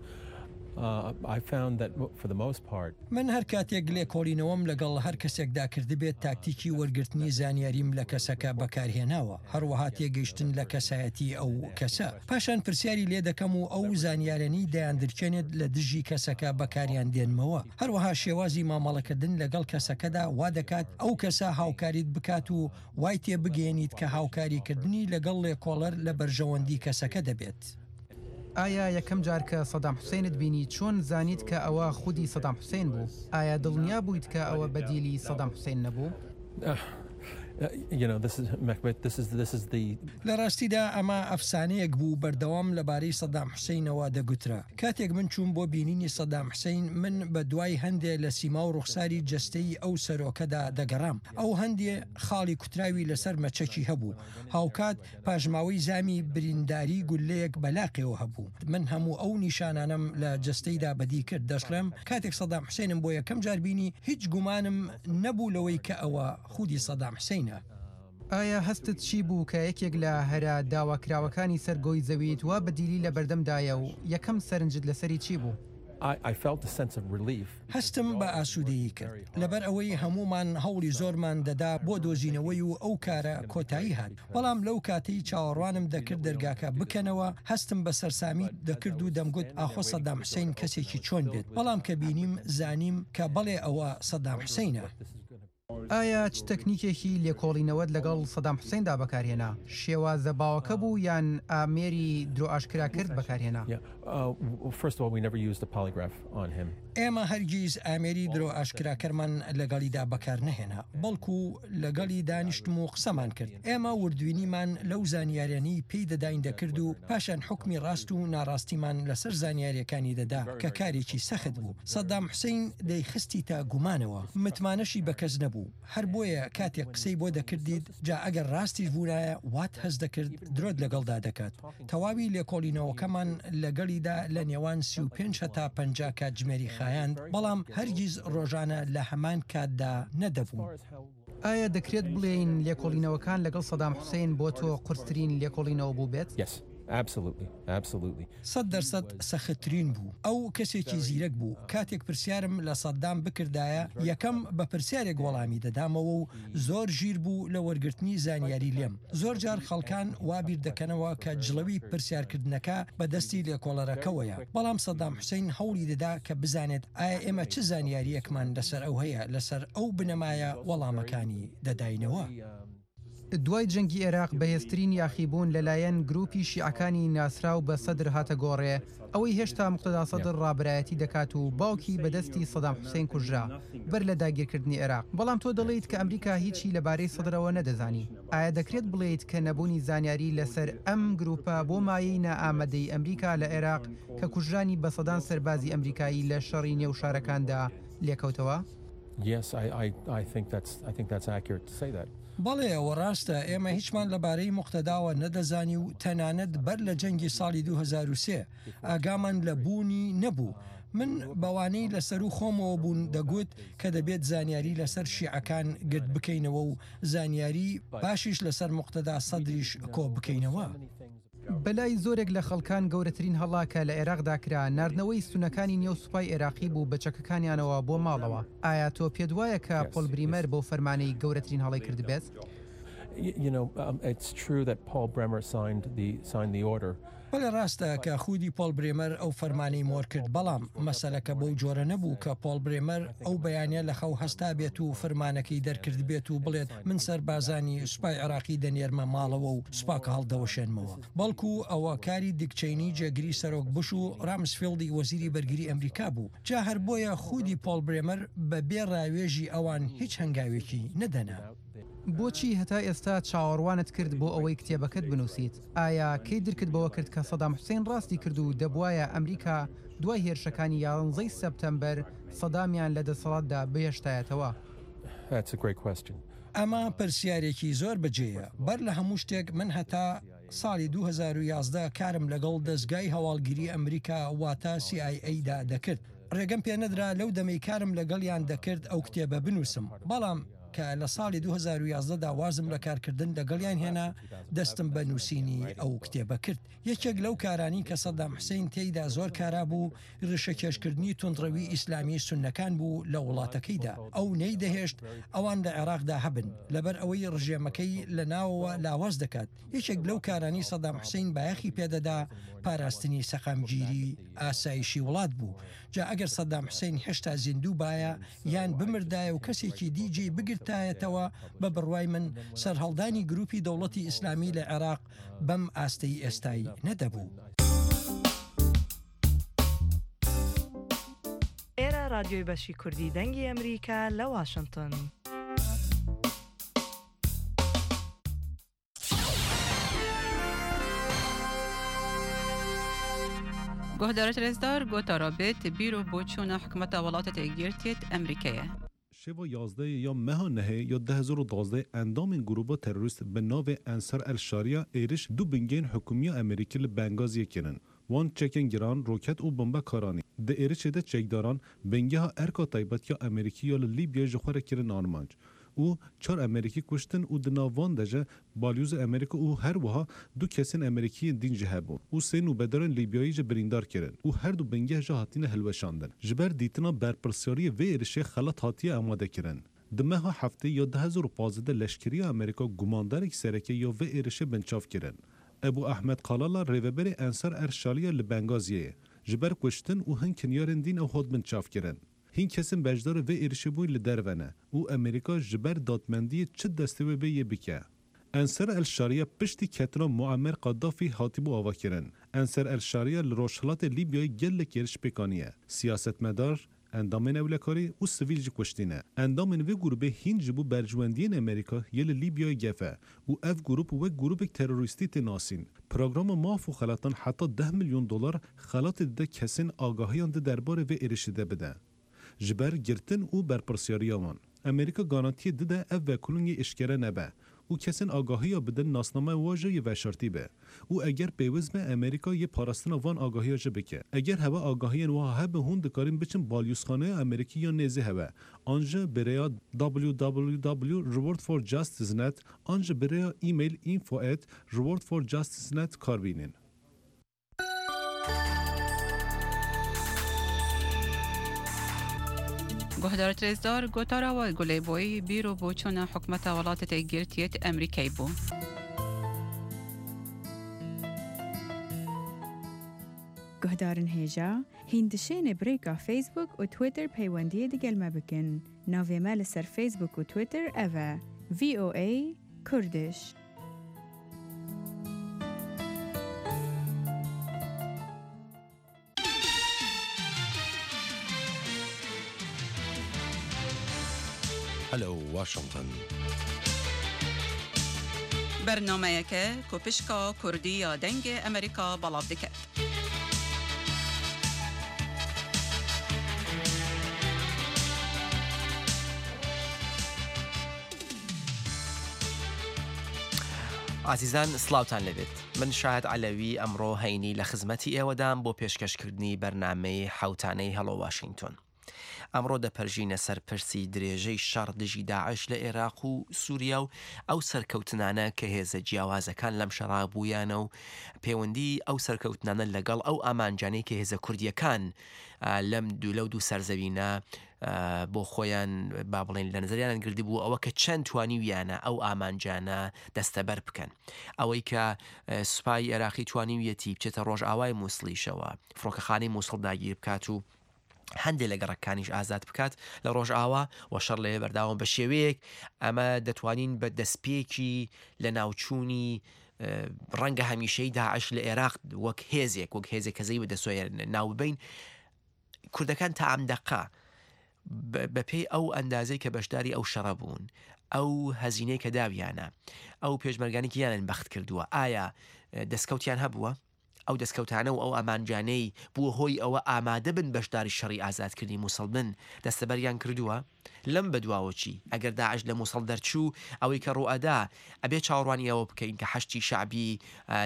من هەر کاتێک لێکۆڵینەوەم لەگەڵ هەر کەسێکدا کردبێت تاکتیکی وەرگرتنی زانیاریم لە کەسەکە بەکارهێناوە، هەروەها تێگەیشتن لە کەسایەتی ئەو کەسە. پاشان پرسیاری لێ دەکەم و ئەو زانیارانەی دەیاندرکێنێت لە دژی کەسەکە بەکاریان دێنمەوە. هەروەها شێوازی مامەڵەکردن لەگەڵ کەسەکەدا وا دەکات ئەو کەسە هاوکاریت بکات و وای تێبگەیەنیت کە هاوکاریکردنی لەگەڵ لێکۆڵەر لە بەرژەوەندی کەسەکە دەبێت. ئایا یەکەم جار کە سەدام حوسێنت بینی چۆن زانیت کە ئەوە خودی سەدام حوسێن بوو؟ ئایا دڵنیا بوویت کە ئەوە بەدیلی سەدام حوسێن نەبوو؟ لە ڕاستیدا ئەمە ئەفسانەیەک بوو بەردەوام لەبارەی سەدام حوسەینەوە دەگوترا. کاتێک من چووم بۆ بینینی سەدام حوسەین، من بە دوای هەندێ لە سیما و ڕوخساری جەستەیی ئەو سەرۆکەدا دەگەڕام. ئەو هەندێ خاڵی کوتراوی لەسەر مەچەکی هەبوو. هاوکات پاشماوەی زامی برینداری گوللەیەک بە لاقیەوە هەبوو. من هەموو ئەو نیشانانەم لە جەستەیدا بەدی کرد. دەشڵێم کاتێک سەدام حوسەینم بۆ یەکەم جار بینی، هیچ گومانم نەبوو لەوەی کە ئەوە خودی سەدام حوسەینە. ئایا هەستت چی بوو کە یەکێک لە هەرە داواکراوەکانی سەر گۆی زەویت وا بە دیلی لە بەردەمدایە و یەکەم سەرنجت لەسەری چی بوو؟ هەستم بە ئاسوودەیی کرد، لەبەر ئەوەی هەموومان هەوڵی زۆرمان دەدا بۆ دۆزینەوەی و ئەو کارە کۆتایی هات، بەڵام لەو کاتەی چاوەڕوانم دەکرد دەرگاکە بکەنەوە هەستم بە سەرسامی دەکرد و دەمگوت ئاخۆ سەدام حوسەین کەسێکی چۆن بێت، بەڵام کە بینیم زانیم کە بەڵێ ئەوە سەدام حوسەینە. ئایا چ تەکنیکێکی لێکۆڵینەوەت لەگەڵ سەدام حوسەیندا بەکارهێنا؟ شێوازە باوەکە بوو یان ئامێری درۆ ئاشکراکرد بەکارهێنا؟ ئێمە هەرگیز ئامێری درۆ ئاشکراکەرمان لەگەڵیدا بەکارنەهێنا، بەڵکو لەگەڵی دانیشتم و قسەمان کرد. ئێمە وردبینیمان لەو زانیاریانەی پێی دەداین دەکرد و پاشان حوکمی ڕاست و ناڕاستیمان لەسەر زانیاریەکانی دەدا کە کارێکی سەخت بوو. سەدام حوسەین دەیخستیتە گومانەوە، متمانەشی بە کەس نەبوو، هەر بۆیە کاتێک قسەی بۆ دەکردیت، جا ئەگەر ڕاستیش بوونایە وات هەست دەکرد درۆت لەگەڵدا دەکات. تەواوی لێکۆڵینەوەکەمان لەگەڵیدا لە نێوان سی و پێنج هەتا پەنجا کاتژمێری خایاند، بەڵام هەرگیز ڕۆژانە لە هەمان کاتدا نەدەبوون. ئایا دەکرێت بڵێین لێکۆڵینەوەکان لەگەڵ سەدام حوسەین بۆ تۆ قورسترین لێکۆڵینەوە بووبێت؟ سەد دەر سەد سەختترین بوو. ئەو کەسێکی زیرەک بوو. کاتێک پرسیارم لە سەدام بکردایە، یەکەم بە پرسیارێک وەڵامی دەدامەوە و زۆر ژیر بوو لە وەرگرتنی زانیاری لێم. زۆر جار خەڵکان وا بیر دەکەنەوە کە جڵەوی پرسیارکردنەکە بە دەستی لێکۆڵەرەکەوەیە، بەڵام سەدام حوسەین هەوڵی دەدا کە بزانێت ئایا ئێمە چ زانیارییەکمان لەسەر ئەو هەیە، لەسەر ئەو بنەمایە وەڵامەکانی دەداینەوە. دوای جەنگی ئێراق بەهێزترین یاخیبوون لەلایەن گروپی شیعەکانی ناسراو بە سەدر هاتە گۆڕێ، ئەوەی هێشتا موقتەدا سەدر ڕابەرایەتی دەکات و باوکی بەدەستی سەدام حوسەین کوژرا بەر لە داگیرکردنی ئێراق، بەڵام تۆ دەڵێیت کە ئەمریکا هیچی لەبارەی سەدرەوە نەدەزانی، ئایا دەکرێت بڵێیت کە نەبوونی زانیاری لەسەر ئەم گروپە بۆ مایەی نائامادەیی ئەمریکا لە ئێراق کە کوژرانی بە سەدان سەربازی ئەمریکایی لە شەڕی نێو شارەکاندا لێکەوتەوە؟ بەڵێ ئەوە ڕاستە، ئێمە هیچمان لەبارەی موقتەداوە نەدەزانی و تەنانەت بەر لە جەنگی ساڵی دوو هەزار و سێ ئاگامان لە بوونی نەبوو. من بەوانەی لە سەروو خۆمەوە بوون دەگوت کە دەبێت زانیاری لەسەر شیعەکان گرد بکەینەوە و زانیاری باشیش لەسەر موقتەدا سەدریش کۆ بکەینەوە. بەلای زۆرێک لە خەڵکان گەورەترین هەڵە کە لە عێراقدا کرا ناردنەوەی سوننەکانی نێو سوپای عێراقی بوو بە چەکەکانیانەوە بۆ ماڵەوە. ئایا تۆ پێت وایە کە پۆل بریمەر بەو فەرمانەی گەورەترین هەڵەی کردبێت؟ بەڵێ ڕاستە کە خودی پۆڵ برێمەر ئەو فەرمانەی مۆر کرد، بەڵام مەسەلەکە بەو جۆرە نەبوو کە پۆڵ برێمەر ئەو بەیانە لە خەو هەستابێت و فرمانەکەی دەرکردبێت و بڵێت من سەربازانی سوپای عێراقی دەنێرمە ماڵەوە و سوپاکە هەڵدەوەشێنمەوە، بەڵکو ئەوە کاری دیک چەینی جێگری سەرۆک بوش و ڕامسفیڵدی وەزیری بەرگری ئەمریکا بوو، جا هەر بۆیە خودی پۆڵ برێمەر بە بێ ڕاوێژی ئەوان هیچ هەنگاوێکی نەدەنا. بۆچی هەتا ئێستا چاوەڕوانت کرد بۆ ئەوەی کتێبەکەت بنووسیت؟ ئایا کەی درکت بەوە کرد کە سەدام حوسەین ڕاستی کرد و دەبوایە ئەمریکا دوای هێرشەکانی یانزەی سەپتەمبەر سەدامیان لە دەسەڵاتدا بهێشتایەتەوە؟ ئەمە پرسیارێکی زۆر بەجێیە. بەر لە هەموو شتێک من هەتا ساڵی دوو هەزار و یازدە کارم لەگەڵ دەزگای هەواڵگری ئەمریکا واتە سی ئای ئەی دا دەکرد. ڕێگەم پێنەدرا لەو دەمەی کارم لەگەڵیان دەکرد ئەو کتێبە بنووسم. بەڵام کە لە ساڵی دوو هەزار و یازدە دا وازم لە کارکردن لەگەڵیان هێنا، دەستم بە نووسینی ئەو کتێبە کرد. یەکێک لەو کارانەی کە سەدام حوسەین تێیدا زۆر کارا بوو، ڕیشەکێشکردنی توندڕەوی ئیسلامی سوننەکان بوو لە وڵاتەکەیدا. ئەو نەیدەهێشت ئەوان لە عێراقدا هەبن، لەبەر ئەوەی ڕژێمەکەی لە ناوەوە لاواز دەکات. یەکێک لەو کارانەی سەدام حوسەین بایەخی پێدەدا، پاراستنی سەقامگیری ئاسایشی وڵات بوو. جا ئەگەر سەدام حوسەین هێشتا زیندوو بایە یان بمردایە و کەسێکی دی جێی بگرتایەتەوە، بە بڕوای من سەرهەڵدانی گروپی دەوڵەتی ئیسلامی لە عێراق بەم ئاستەی ئێستای نەدەبوو. ئێرە ڕادیۆی بەشی کوردی دەنگی ئەمریکا لە واشنتن. گۆهدارت رێزدار گۆتارا بێت بیر و بۆچوونە حکومەتە وڵاتە یەکگرتیت ئەمریکایە. Şeva yazdehê ya meha nehê ya du hezar û duwazdeh endamên grûpa terorîst bi navê Ensar El Şariya êriş du bingehên hikûmiya Amerîkî li Bengaziyê kirin. Wan çekên giran, roket û bombe karanî. Di êrişê de çekdaran bingeha erka taybet ya Amerîkî ya li Lîbyayê ji xwe re kirin armanc û çar Amerîkî kuştin û di nav wan de ji balyozê Amerîka û her wiha du kesên Amerîkî yên dîn jî hebûn û sê nûbedarên Lîbyayî jî birîndar kirin û her du bingeh jî hatine hilweşandin. Ji ber dîtina berpirsyariyê vê êrişê xelat hatiye amadekirin. Di meha heftê ya du hezar û pazdeh de leşkeriya Amerîka gumandarek sereke ya vê êrişê binçav kirin. Ebû Ehmed Kalala rêveberê Ensar El Şaliya li Bengaziyê ji ber kuştin û hin kinyarên dîn ew hat binçav kirin. Hîn kesên beşdarê vê êrişê bûyî li derve ne û Amerîka ji ber dadmendiyê çi destê wê bê yê bike. Ensar El Şariya piştî ketina Muammer Qaddafî hatibû avakirin. Ensar El Şariya li rojhilatê Lîbyayê gelek êriş pêk aniye. Siyasetmedar, endamên ewlekarî û sivîl jî kuştîne. Endamên vê grûpê hîn ji bo berjwendiyên Amerîka yê li Lîbyayê gef e û ev grûp wek grûpek terorîstî tê nasîn. Programa maf û xelatan heta deh milyon dolar xelatê dide kesên agahiyan di derbarê vê êrişê de bide. Ji ber girtin û berpirsyariya wan. Amerîka garantiyê dide ev vekolîngê eşkere nebe û kesên agahiya bidin nasnameya wan jî yê veşartî be û eger pêwîst be Amerîka yê parastina van agahiya jî bike. Eger hewe agahiyên wiha hebe hûn dikarin biçin balyozxaneya Amerîkî ya nêzî hewe an ji bi rêya w w w reward for justice net an ji bi rêya e-mail info at reward for justice net kar bînin. گۆهدارت رێزدار گۆتارا وای گولەی بۆی بیر و بۆچوونە حکومەتە وڵاتە یەکگرتیت ئەمریکای بوو. گۆهدارن هێژا هیندشێنێ برێکا فەیسبوک و تویتەر پەیوەندیە دگەل مە بکن. ناوێ مە لەسەر فەیسبوک و تویتەر ئەڤە ڤی ئۆ ئەی کوردش. Hello Washington. بەرنامەیەکە کۆپشکا کوردی یا دەنگێ ئەمریکا بەڵاو دەکات. ئازیزان سڵاوتان لەبێت. من شاهد عەلەوی ئەمڕۆ هەینی لە خزمەتی ئێوەدام بۆ پێشکەشکردنی بەرنامەی حەوتانەی هەڵۆ واشنگتۆن. ئەمڕۆ دەپەرژینە سەر پرسی درێژەی شەڕ دژی داعش لە ئێراق و سووریا و ئەو سەرکەوتنانە کە هێزە جیاوازەکان لەم شەڕا بوویانە و پەیوەندی ئەو سەرکەوتنانە لەگەڵ ئەو ئامانجانەی کە هێزە کوردیەکان لەم دوو لەو دوو سەرزەوینە بۆ خۆیان با بڵێن لە نظریان گردبوو ئەوە کە چەند توانیویانە ئەو ئامانجانە دەستەبەر بکەن. ئەوەی کە سوپای عێراقی توانیویەتی بچێتە ڕۆژئاوای مووسڵیشەوە، فڕۆکەخانەی مووسڵ داگیر بکات و هەندێک لە گەڕەکانیش ئازاد بکات لە ڕۆژئاوا و شەڕ لەوێ بەرداوام بە شێوەیەک ئەمە دەتوانین بە دەستپێکی لە ناوچوونی ڕەنگە هەمیشەی داعش لە عێراق وەک هێزێک وەک هێزێک کە زەی بەدەستۆیە ناو ببین. کوردەکان تا ئەم دەقە بەپێی ئەو ئەندازەی کە بەشداری ئەو شەڕە بوون، ئەو هەزینەی کە داویانە، ئەو پێشمەرگانی گیانیان بەخت کردووە، ئایا دەستکەوتیان هەبووە؟ ئەو دەستکەوتانە و ئەو ئامانجانەی بووە هۆی ئەوە ئامادە بن بەشداری شەڕی ئازادکردنی مووسڵ بن دەستەبەریان کردووە؟ لەم بەدواوە چی؟ ئەگەر داعش لە مووسڵ دەرچوو، ئەوەی کە ڕوئەدا ئەبێ چاوەڕوانی ئەوە بکەین کە حەشتی شەعبی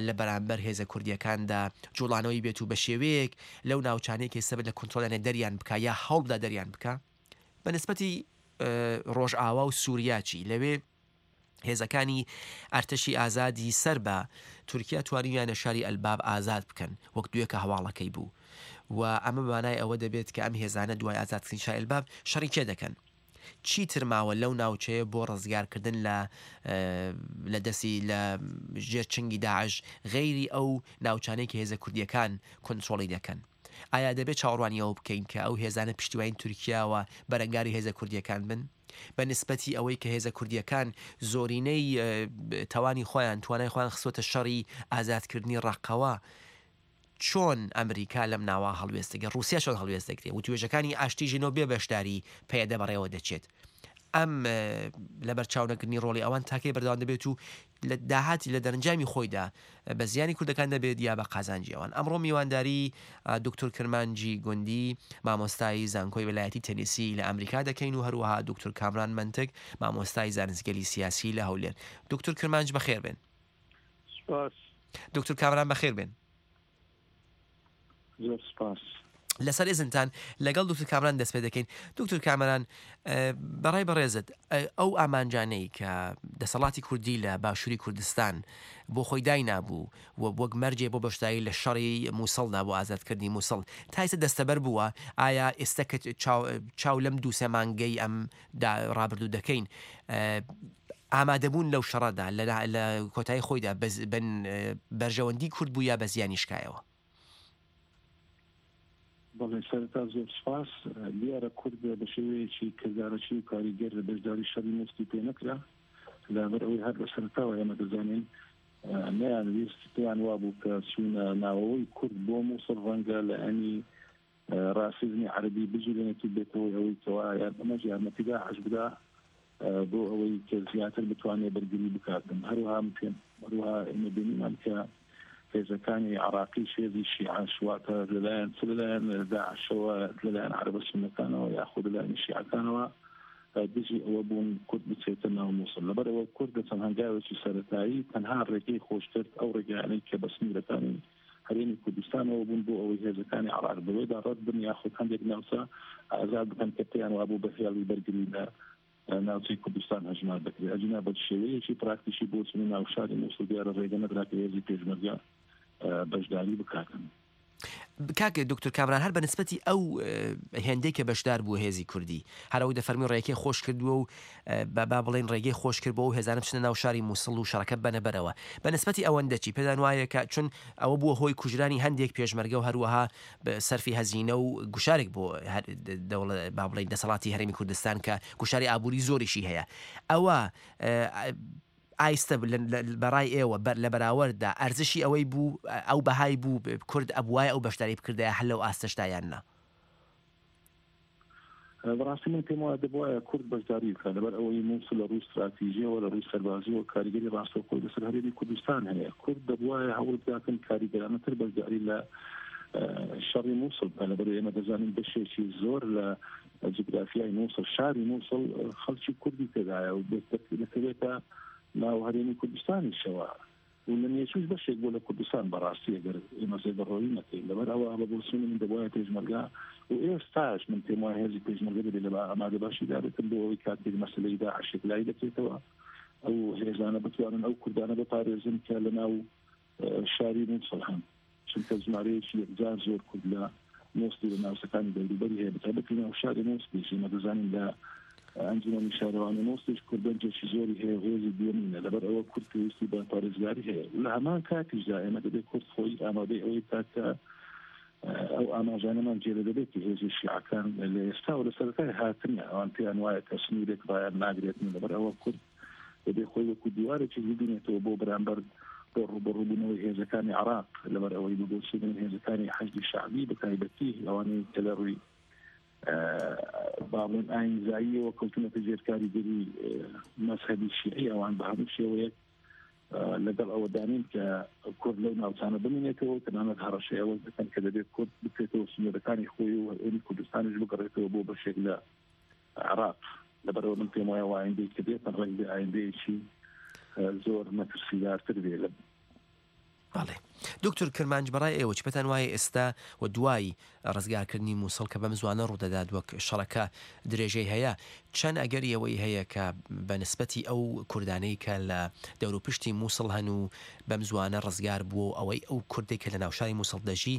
لە بەرامبەر هێزە کوردیەکاندا جوڵانەوەی بێت و بە شێوەیەک لەو ناوچانەی کە ئێستا لە کۆنترۆڵیانە دەریان بکا یا هەوڵدا دەریان بکا. بە نسبەتی ڕۆژئاوا و سووریا چی؟ لەوێ هێزەکانی ئەرتەشی ئازادی سەر بە تورکیا توانیویانە شاری ئەلباب ئازاد بکەن وەک دوێکە هەواڵەکەی بوو و ئەمە مانای ئەوە دەبێت کە ئەم هێزانە دوای ئازادکردنی شاری ئەلباب شەڕی کێ دەکەن؟ چیتر ماوە لەو ناوچەیە بۆ ڕزگارکردن لە لە دەستی لە ژێر چنگی داعش غەیری ئەو ناوچانەی کە هێزە کوردیەکان کۆنترۆڵی دەکەن؟ ئایا دەبێت چاوەڕوانی ئەوە بکەین کە ئەو هێزانە پشتیوانی تورکیاوە بەرەنگاری هێزە کوردیەکان بن؟ بە نسبەتی ئەوەی کە هێزە کوردیەکان زۆرینەی تەوانی خۆیان توانای خۆیان خستووەتە شەڕی ئازادکردنی ڕەقەوە، چۆن ئەمریکا لەم ناوە هەڵوێست دەگرێت؟ ڕووسیا چۆن هەڵوێست دەگرێت؟ وتوێژەکانی ئاشتی ژنۆ بێ بەشداری پەیەدە بەڕێوە دەچێت. ئەم لەبەر چاونەکردنی ڕۆڵی ئەوان تاکەی بەردەوام دەبێت و لە داهاتی لە دەرەنجامی خۆیدا بە زیانی کوردەکان دەبێت یا بە قازانجی ئەوان. ئەمڕۆ میوانداری دکتۆر کرمانجی گوندی مامۆستای زانکۆی ویلایەتی تەنیسی لە ئەمریکا دەکەین و هەروەها دکتۆر کامران مەنتک مامۆستای زانستگەلی سیاسی لە هەولێر. دکتۆر کرمانج بەخێر بێن. سپاس. دکتۆر کامران بەخێر بێن. زۆر سپاس. لەسەر ئێزنتان لەگەڵ دکتۆر کامران دەست پێ دەکەین. دکتۆر کامران، بەڕای بەڕێزت ئەو ئامانجانەی کە دەسەڵاتی کوردی لە باشووری کوردستان بۆ خۆی داینابوو و وەک مەرجێ بۆ بەشداری لە شەڕی مووسڵدا بۆ ئازادکردنی مووسڵ تا ئێستا دەستەبەر بووە، ئایا ئێستا کە چاو لەم دوو سێ مانگەی ئەم ڕابردوو دەکەین ئامادەبوون لەو شەڕەدا لە کۆتایی خۆیدا بەرژەوەندی کورد بوو یا بە زیانی شکایەوە؟ بەڵێ، سەرەتا زۆر سپاس. دیارە کورد بە شێوەیەکی کردارەکی و کاریگەر لە بەشداری شەڕی مووسڵی پێ نەکرا، لەبەر ئەوەی هەر لە سەرەتاوە ئێمە دەزانین نەیانویست، پێیان وابوو کە چوونە ناوەوەی کورد بۆ مووسڵ ڕەنگە لایەنی ڕاسیزمی عەرەبی بجولێنێت و بێتەوەی ئەوەی کەوا ئەمەش یارمەتی داعش بدا بۆ ئەوەی کە زیاتر بتوانێت بەرگری بکاتن. هەروەها هەروەها ئێمە بینیمان کە هێزەکانی عراقی هێزی شیعەش واتە لەلایەن چ لەلایەن داعشەوە لەلایەن عەرەبە سوننەکانەوە یاخود لەلایەن شیعەکانەوە دژی ئەوە بوون کورد بچێتە ناو مووسڵ. لەبەرەوە کورد لە چەند هەنگاوێکی سەرەتایی تەنها ڕێگەی خۆش کرد ئەو ڕێگایانەی کە بە سنوورەکانی هەرێمی کوردستانەوە بوون بۆ ئەوەی هێزەکانی عراق بەوێدا ڕەت بن یاخود هەندێک ناوچە ئازاد بکەن کە پێیان وابوو بە هێڵی بەرگری لە ناوچەی کوردستان هەژمار دەکرێت. ئەجینا بە شێوەیەکی پراکتیکی بۆ چوونە ناو شاری مووسڵ دیارە ڕێگە نەدرا کە هێزی پێشمەرگە بەشداری بکاتن. کاک دکتۆر کامران، هەر بە نسبەتی ئەو هێندەی کە بەشدار بوو هێزی کوردی، هەر ئەوەی دەفەرمی ڕێگەی خۆش کردووە و با بڵێن ڕێگەی خۆش کرد بۆ ئەو هێزانە بچنە ناو شاری مووسڵ و شەڕەکە بەنە بەرەوە، بە نسبەتی ئەوەندە چی پێدان وایە کە چون ئەوە بووە هۆی کوژرانی هەندێک پێشمەرگە و هەروەها سەرفی هەزینە و گوشارێک بۆ با بڵێن دەسەڵاتی هەرێمی کوردستان کە گوشاری ئابووری زۆریشی هەیە، ئەوە ئایستە بەڕای ئێوە لە بەراورددا ئەرزشی ئەوەی بوو ئەو بەهای بوو کورد ئەبوایە ئەو بەشداری بکردایە هەر لەو ئاستەشدا یان نا؟ بەڕاستی من پێم وایە دەبوایە کورد بەشداری بکات، لەبەر ئەوەی مووسڵ لە ڕووی استراتیژیەوە لە ڕووی سەربازیەوە کاریگەری ڕاستەوخۆی لەسەر هەرێمی کوردستان هەیە. کورد دەبوایە هەوڵ بداتن کاریگەرانەتر بەشداری لە شەڕی مووسڵ بکات، لەبەر ئێمە دەزانین بەشێکی زۆر لە جوگرافیای مووسڵ، شاری مووسڵ خەڵکی کوردی تێدایە و دەکەوێتە ناو هەرێمی کوردستانیشەوە و و لە مێژووش بەشێک بۆ لە کوردستان بەڕاستی ئەگەر ئێمە زێدەڕۆیی نەکەین. لەبەر ئەوە بە بۆچوونی من دەبوایە پێشمەرگە و ئێستاش من پێم وایە هێزی پێشمەرگە دەبێت لە ئامادە باشیدا بێتن بۆ ئەوەی کاتێک مەسەلەی داعش یەکلایی دەکرێتەوە ئەو هێزانە بتوانن ئەو کوردانە بپارێزن کە لەناو شاری مووسڵ هەن، چونکە ژمارەیەکی یەکجار زۆر کورد لە مووسڵی لە ناوچەکانی دەوروبەری هەیە، بەتایبەتی ناو شاری مووسڵیش. ئێمە دەزانین لە ئەنجومەنی شارەوانی مووسڵیش کوردەنجێکی زۆری هەیە و هێزی دووەمینە. لەبەر ئەوە کورد پێویستی بە پارێزگاری هەیە و لە هەمان کاتیشدا ئێمە دەبێت کورد خۆی ئامادەی ئەوەی بکات کە ئەو ئاماژانەمان جێلە دەبێت کە هێزی شیعەکان لە ئێستا و لە سەرەتای هاتنیان ئەوان پێیان وایە کە سنوورێک ڕایان ناگرێتن. لەبەر ئەوە کورد دەبێت خۆی وەکو دیوارێکی ببینێتەوە بۆ بەرامبەر بۆ ڕووبەڕووبوونەوەی هێزەکانی عراق. لەبەر ئەوەی بۆچوونی هێزەکانی حەشدی شەعبی بەتایبەتی ئەوانەی کە لە ڕووی باڵێن ئاینزاییەوە کەوتونەتە ژێر کاریگەری مەزهەبی شیعی، ئەوان بە هەموو شێوەیەک لەگەڵ ئەوە دانین کە کورد لەو ناوچانە بمێنێتەوە، تەنانەت هەڕەشەی ئەوە دەکەن کە دەبێت کورد بکرێتەوە سنوورەکانی خۆی و هەرێمی کوردستانیش بگەڕێتەوە بۆ بەشێک لە عراق. لەبەرەوە من پێم وایە ئایندەی کە بێتن ڕەنگ بێ ئایندەیەکی زۆر مەترسیدارتر بێ. لە بەڵێ دکتۆر کرمانج، بەڕای ئێوە چ پێتان وایە ئێستا و دوای ڕزگارکردنی مووسڵ کە بەم زوانە ڕوودەدات وەک شەڕەکە درێژەی هەیە، چەند ئەگەری ئەوەی هەیە کە بە نسبەتی ئەو کوردانەی کە لە دەوروپشتی مووسڵ هەن و بەم زوانە ڕزگار بووە و ئەوەی ئەو کوردێک کە لە ناوشاری مووسڵ دەژی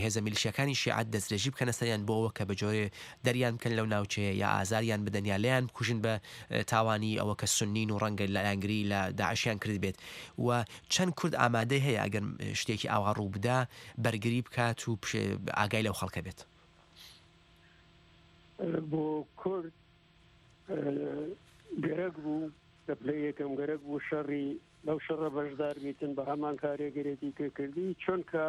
هێزە میلیشیاکانی شیعە دەستدرێژی بکەنە سەریان بۆ ئەوە کە بە جۆرێ دەریان بکەن لەو ناوچەیە یا ئازاریان بدەن یا لێیان بکوژن بە تاوانی ئەوە کە سنین و ڕەنگە لایەنگری لە داعشیان کرد بێت و چەند کورد ئامادەی هەیە ئەگەر شتێکی ئاوا ڕوو بدا بەرگری بکات و ئاگای لەو خەڵکە بێت؟ بۆ کورد گەرەک بوو لە پلەی یەکەم گەرەک بوو شەڕی لەو شەڕە بەشدار بیتن بە هەمان کارێگەرێتی کە کردی، چونکە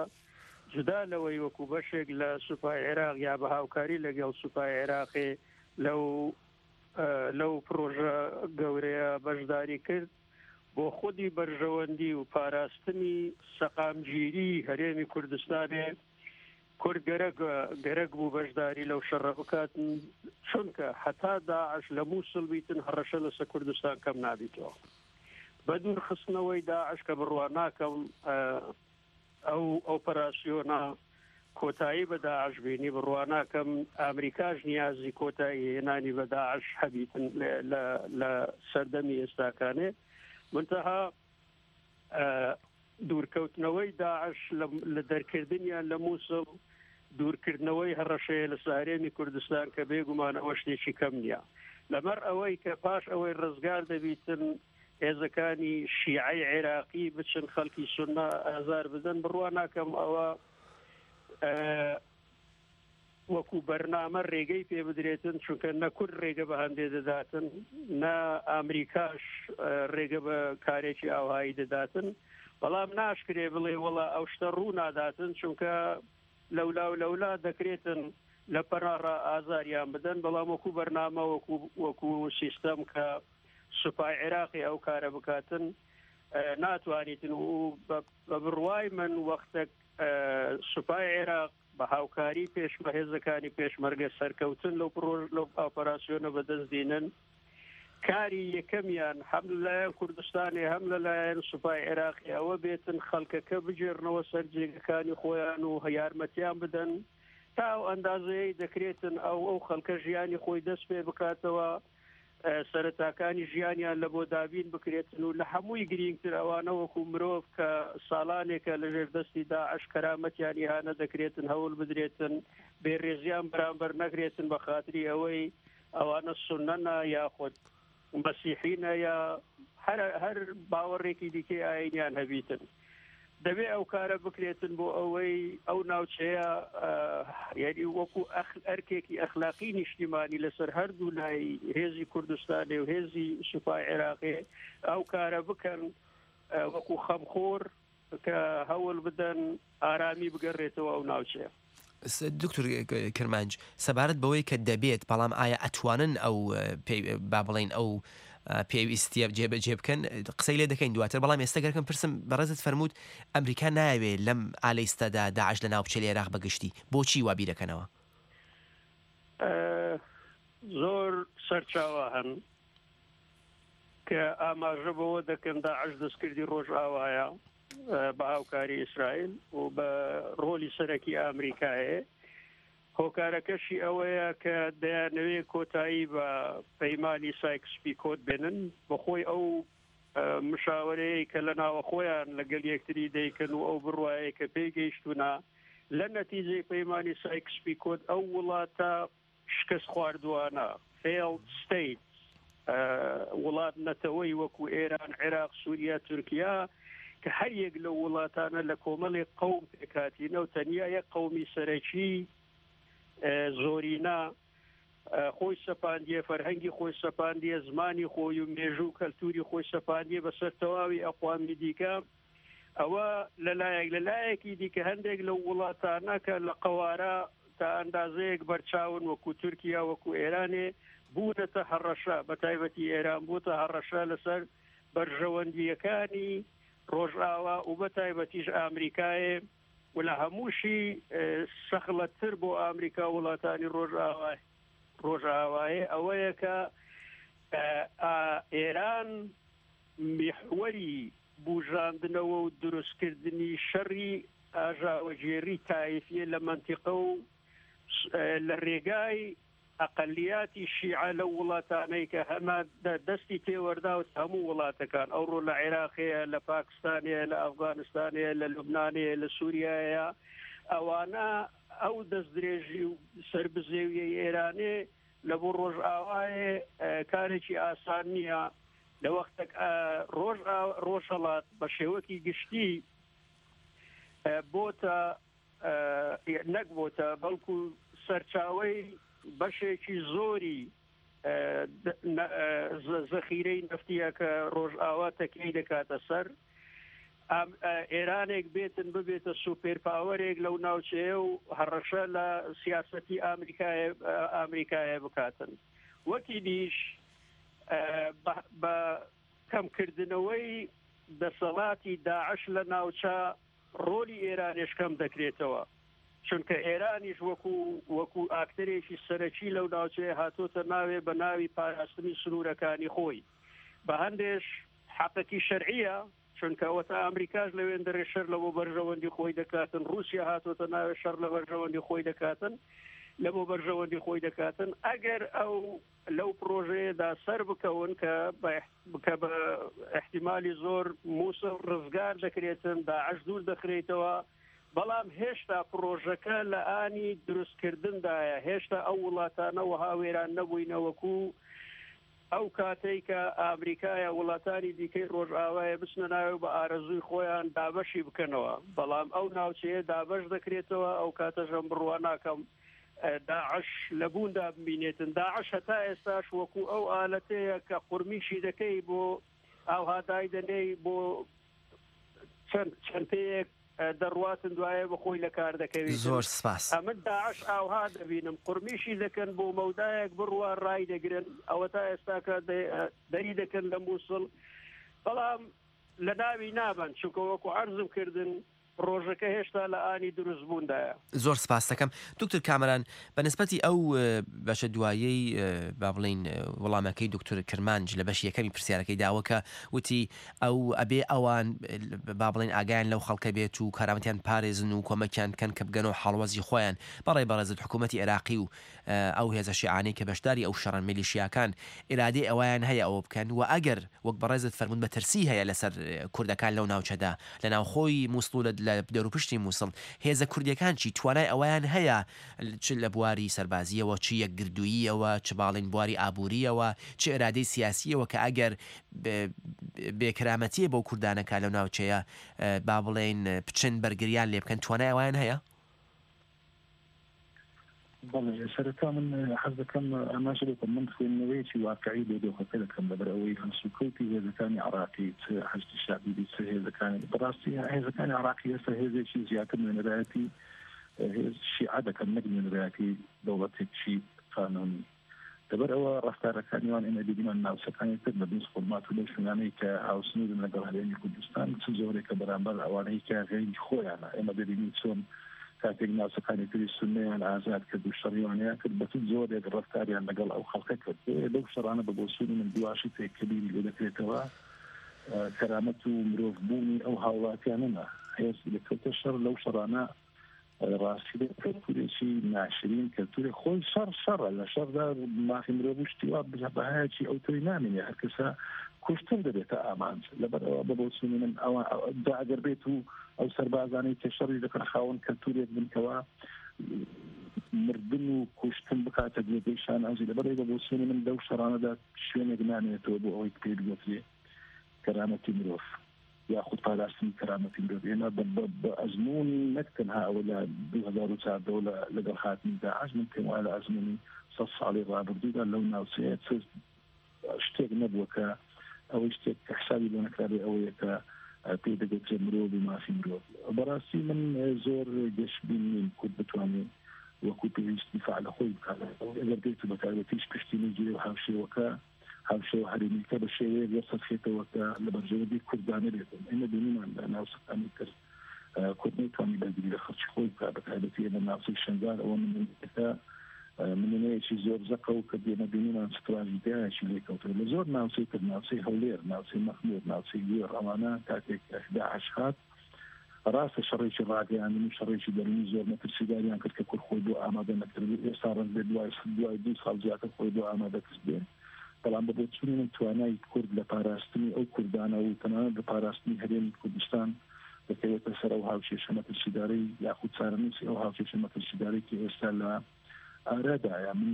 جودا لەوەی وەکو بەشێک لە سوپای عێراق یا بە هاوکاری لەگەڵ سوپای عێراقی لەو لەو پرۆژە گەورەیە بەشداری کرد بۆ خودی بەرژەوەندی و پاراستنی سەقامگیری هەرێمی کوردستانێ کورد گەرەک گەرەک بوو بەشداری لەو شەڕە بکات، چونکە هەتا داعش لە مووسڵ بیتن هەڕەشە لەسەر کوردستان کەم نابیتەوە. بە دوورخستنەوەی داعش کە بڕوا ناکەم ئەو ئۆپەراسیۆنە کۆتایی بە داعش بینی، بڕوا ناکەم ئەمریکاش نیازی کۆتایی هێنانی بە داعش هەبیتن لە سەردەمی ئێستاکانێ. منتەها دوورکەوتنەوەی داعش لە دەرکردنیان لە مووسڵ دوورکردنەوەی هەڕەشەیە لە هەرێمی کوردستان کە بێگومان ئەوە شتێکی کەم نییە. لەمەر ئەوەی کە پاش ئەوەی ڕزگار دەبیتن هێزەکانی شیعەی عێراقی بچن خەڵکی سوننە ئازار بدەن، بڕوا ناکەم ئەوە وەکو بەرنامە ڕێگەی پێ بدرێتن، چونکە نە کورد ڕێگە بە هەندێ دەداتن نە ئەمریکاش ڕێگە بە کارێکی ئاوهایی دەداتن. بەڵام ناشکرێ بڵێ وەڵا ئەو شتە ڕوو ناداتن، چونکە لەولا و لەولا دەکرێتن لە پەناڕا ئازاریان بدەن. بەڵام وەکو بەرنامە وەکو سیستەم کە سوپای عێراقی ئەو کارە بکاتن ناتوانیتن. و بە بڕوای من وەختێک سوپای عێراق بە هاوکاری پێشمە هێزەکانی پێشمەرگە سەرکەوتن لەو پرۆژ لەو ئۆپەراسیۆنە بەدەست دینن، کاری یەکەمیان هەم لەلایەن کوردستانی هەم لەلایەن سوپای عێراقی ئەوە بێتن خەڵکەکە بگێڕنەوە سەر جێگەکانی خۆیان و یارمەتیان بدەن تا ئەو ئەندازەیە دەکرێتن ئەو ئەو خەڵکە ژیانی خۆی دەست پێ بکاتەوە، سەرەتاکانی ژیانیان لە بۆ دابین بکرێتن و لە هەمووی گرینگتر ئەوانە وەکو مرۆڤ کە ساڵانێکە لەژێر دەستی داعش کەرامەتیان ئیهانە دەکرێتن هەوڵ بدرێتن بێڕێزیان بەرامبەر نەکرێتن بە خاتری ئەوەی ئەوانە سوننەنە یاخود مەسیحینە یا هەر هەر باوەڕێکی دیکەی ئاینیان هەبیتن. دەبێ ئەو کارە بکرێتن بۆ ئەوەی ئەو ناوچەیە یعنی وەکو ئەرکێکی ئەخلاقی نیشتیمانی لەسەر هەردوو لای هێزی کوردستانی و هێزی سوپای عێراقی ئەو کارە بکەن وەکو خەمخۆر کە هەوڵ بدەن ئارامی بگەڕێتەوە ئەو ناوچەیە. دکتۆر کرمانج، سەبارەت بەوەی کە دەبێت، بەڵام ئایا ئەتوانن ئەو با بڵێن ئەو پێویستیە جێبەجێ بکەن؟ قسەی لێ دەکەین دواتر، بەڵام ئێستا گەرکەم پرسم بەڕێزت فەرمووت ئەمریکا ناوێ لەم ئالەیستەدا داعش لە ناو بچێ لە عێراق بەگشتی، بۆچی وا بیرەکەنەوە؟ زۆر سەرچاوە هەن. کە ئاماژە بەوە دەکەن داعش دەستکردی ڕۆژئاوایە بە هاوکاری ئیسرائیل و بە ڕۆلی سەرەکی ئامریکایە. هۆکارەکەشی ئەوەیە کە دەیانەوێت کۆتایی بە پەیمانی سایکس پیکۆت بێنن، بەخۆی ئەو مشاوەرەیە کە لە ناوە خۆیان لەگەڵ یەکتری دەیکەن و ئەو بڕوایە کە پێی گەیشتوونە لە نەتیجەی پەیمانی سایکس پیکۆت ئەو وڵاتە شکست خواردوانە failed state وڵات نەتەوەی وەکو ئێران، عێراق، سووریا، تورکیا کە هەر یەک لەو وڵاتانە لە کۆمەڵی قەوم پێکهاتینە و تەنیا یەک قەومی سەرەکی زۆرینە خۆی سەپاندیە، فەرهەنگی خۆی سەپاندیە، زمانی خۆی و مێژوو و کەلتوری خۆی سەپاندیە بەسەر تەواوی ئەقوامی دیکە. ئەوە لەلایەک، لەلایەکی دیکە هەندێک لەو وڵاتانە کە لە قەوارە تا ئەندازەیەک بەرچاون وەکو تورکیا وەکو ئێرانێ بوونەتە هەڕەشە، بە تایبەتی ئێران بووتە هەڕەشە لەسەر بەرژەوەندیەکانی ڕۆژئاوا و بە تایبەتیش ئامریکایە و لە هەمووشی سەخڵەتتر بۆ ئامریکا وڵاتانی ڕۆژئاوای ڕۆژئاوایە ئەوەیە کە ئێران میحوەری بژاندنەوە و دروستکردنی شەڕی ئاژاوەگێڕی تایفیە لە مەنتیقە و لە ڕێگای ئەقلیاتی شیعە لەو وڵاتانەی کە هەمە دەستی تێوەرداوت هەموو وڵاتەکان، ئەوڕۆ لە عێراقەیە، لە پاکستانەیە، لە ئەفغانستانەیە، لە لوبنانەیە، لە سووریایە، ئەوانە ئەو دەستدرێژی و سربزێویەی ئێرانێ لە بۆ ڕۆژئاوایە کارێکی ئاسان نییە. لە وەختێک ڕۆژ ڕۆژهەڵات بە شێوەکی گشتی بۆتە نەک بۆتە بەڵکو سەرچاوەی بەشێکی زۆری زەخیرەی نەفتیە کە ڕۆژئاوا تەکیەی دەکاتە سەر. ئێرانێک بێتن ببێتە سوپێر پاوەرێک لەو ناوچەیە و هەڕەشە لە سیاسەتی ئامریکایە بکاتن. وەکی دیش بە کەمکردنەوەی دەسەڵاتی داعش لە ناوچە ڕۆلی ئێرانێش کەم دەکرێتەوە، چونکە ئێرانیش وەکو وەکو ئاکتەرێکی سەرەکی لەو ناوچەیە هاتۆتە ناوێ بە ناوی پاراستنی سنوورەکانی خۆی. بە هەندێش حەقێکی شەرعیە، چونکە ئەوەتا ئەمریکاش لەوێندەرێ شەر لە بۆ بەرژەوەندی خۆی دەکاتن، رووسیا هاتۆتە ناوێ شەر لە بەرژەوەندی خۆی دەکاتن، لە بۆ بەرژەوەندی خۆی دەکاتن. ئەگەر ئەو لەو پرۆژەیەدا سەر بکەون کە کە بە احتیمالی زۆر مووسڵ ڕزگار دەکرێتن، داعش دوور دەخرێتەوە، بەڵام هێشتا پرۆژەکە لە ئانی دروستکردندایە. هێشتا ئەو وڵاتانە وەها وێران نەبووینەوەکو ئەو کاتەی کە ئامریکایە وڵاتانی دیکەی ڕۆژئاوایە بچنە ناوێ بە ئارەزووی خۆیان دابەشی بکەنەوە، بەڵام ئەو ناوچەیە دابەش دەکرێتەوە. ئەو کاتەشم بڕوا ناکەم داعش لە بووندا ببینێتن. داعش هەتا ئێستاش وەکو ئەو ئالەتەیە کە قورمیشی دەکەی بۆ ئاوها دایدەنێی بۆ چەند چەند پێیەک دەڕواتن دوایە بە خۆی لە کار دەکەوێت. زۆر سپاس. ئەمن داعش ئاوها دەبینم قورمیشی دەکەن بۆ مەودایەک بڕوا ڕای دەگرن، ئەوە تا ئێستاکە دەری دەکەن لە مووسڵ، بەڵام لە ناوی نابن، چونکە وەکو عەرزم کردن ڕۆژەکە هێشتا لە ئانی دروست بووندایە. زۆر سپاس دەکەم دکتۆر کامەران. بە نسبەتی ئەو بەشە دوایەی با بڵین وەڵامەکەی دکتۆر کرمانج لە بەشی یەکەمی پرسیارەکەی داوە کە وتی ئەو ئەبێ ئەوان با بڵین ئاگایان لەو خەڵکە بێت و کارامەتیان پارێزن و کۆمەکیان بکەن کە بگەنەوە حاڵوەزی خۆیان، بەڕێ بەڕێزت حکوومەتی عێراقی و ئەو هێزە شیعانەی کە بەشداری ئەو شەڕن میلیشیاکان ئیرادەی ئەویان هەیە ئەوە بکەن، و ئەگەر وەک بەڕێزت فەرموون بەترسی هەیە لەسەر کوردەکان لەو ناوچەدا لە ناوخۆی مووسڵ و لە دەوروپشتی مووسڵ، هێزە کوردیەکان چی توانای ئەویان هەیە چ لە بواری سەربازیەوە، چ یەکگردووییەوە، چ باڵین بواری ئابووریەوە، چ ئێرادەی سیاسیەوە کە ئەگەر بێکرامەتیە بۆ کوردانەکە لەو ناوچەیە با بڵێن بچن بەرگریان لێ بکەن، توانای ئەویان هەیە؟ بەڵێ، سەرەتا من حەز دەکەم ئاماژە بکەم من خوێندنەوەیەکی واقعی بۆ دۆخەکە دەکەم لەبەر ئەوەی هەڵسوکەوتی هێزەکانی عێراقی چ حەشدی شەعبی بێت چ هێزەکانی بەڕاستی هێزەکانی عێراقی ئێستا هێزێکی زیاتر نوێنەرایەتی هێز شیعە دەکەن نەک نوێنەرایەتی دەوڵەتێکی قانونی. لەبەر ئەوە ڕەفتارەکانی وان ئێمە بینیمان ناوچەکانی تر لە دووز خورمات و لەو شوێنانەی کە هاوسنوورن لەگەڵ هەرێمی کوردستان چ زۆرێکە بەرامبەر ئەوانەی کە غەیری خۆیانە. ئێمە دەبینین چۆن کاتێک ناوچەکانی تری سوننەیان ئازاد کرد و شەڕیوانیان کرد بە چ جۆرێک ڕەفتاریان لەگەڵ ئەو خەڵکە کرد. لەو شەڕانە بە بۆچوونی من دواشی تێکەبیری لێ دەکرێتەوە کەرامەت و مرۆڤبوونی ئەو هاوڵاتیانەنا. هێز دەکەوتە شەڕ لەو شەڕانە ڕاستی کەلتورێکی ناشرین، کەلتورێک خۆی شەڕ شەڕە، لە شەڕدا مافی مرۆڤ و شتی وا بەهایەکی ئەو تۆی نامێنێ، هەر کەسە کوشتن دەبێتە ئامانج. لەبەر ئەوە بە بۆچوونی من ئەوە جا ئەگەر بێت و ئەو سەربازانەی کە شەڕی دەکەن خاوەن کەلتورێک بن کەوا مردن و کوشتن بکاتە جێگەی شانازی. لەبەر ئەوە بە بۆچوونی من لەو شەڕانەدا شوێنێک نامێنێتەوە بۆ ئەوەی پێی بگوترێ کەرامەتی مرۆڤ یاخود پاراستنی کەرامەتی مرۆڤ. ئێمە بە ئەزمموونی نەک تەنها ئەوە لە دوو هەزار و چواردە لەگەڵ هاتنی داعش، من پێم وایە لە ئەزمموونی سەد ساڵی ڕابردوودا لەو ناوچەیە چ شتێک نەبووە کە ئەوەی شتێک کە حسابی بۆ نەکرابێ ئەوەیە کە پێی دەگوترێ مرۆڤ و مافی مرۆڤ. بەڕاستی من زۆر گەشبین نیم کورد بتوانێت وەکو پێویست دیفاع لە خۆی بکات. ئەگەر بێت و بەتایبەتیش پشتی نەگیرێ و هاوشێوەکە هاوشێوە هەرێمیەکە بە شێوەیەک وەسەرخێتەوە کە لە بەرژەوەندی کورددا نەبێتن. ئێمە بینیمان لە ناوچەکانی تر کورد نەیتوانی بەرگری لە خەڵکی خۆی بکات، بەتایبەتی ئێمە ناوچەی شەنگال ئەوە نمونەیەکە نمونەیەکی زۆر زەقە و کە ئێمە بینیمان چ تراژیدیایەکی لێکەوتووە. لە زۆر ناوچەی تر، ناوچەی هەولێر، ناوچەی مەخموور، ناوچەی گوێڕ، ئەوانە کاتێک داعش هات ڕاستە شەڕێکی ڕاگەیاندن و شەڕێکی دەروونی زۆر مەترسیداریان کرد کە کورد خۆی بۆ ئامادە نەکردبوو. ئێستا ڕەنگ بێت دوای دوای دوو ساڵ زیاتر خۆی بۆ ئامادە کردبێ، بەڵام بە بۆچوونی من توانای کورد لە پاراستنی ئەو کوردانە و تەنانەت لە پاراستنی هەرێمی کوردستان دەکەوێتە سەر ئەو هاوکێشە مەترسیدارەی یاخود چارەنووسی ئەو هاوکێشە مەترسیدارەی کە ئێستا لە ئارادایە. من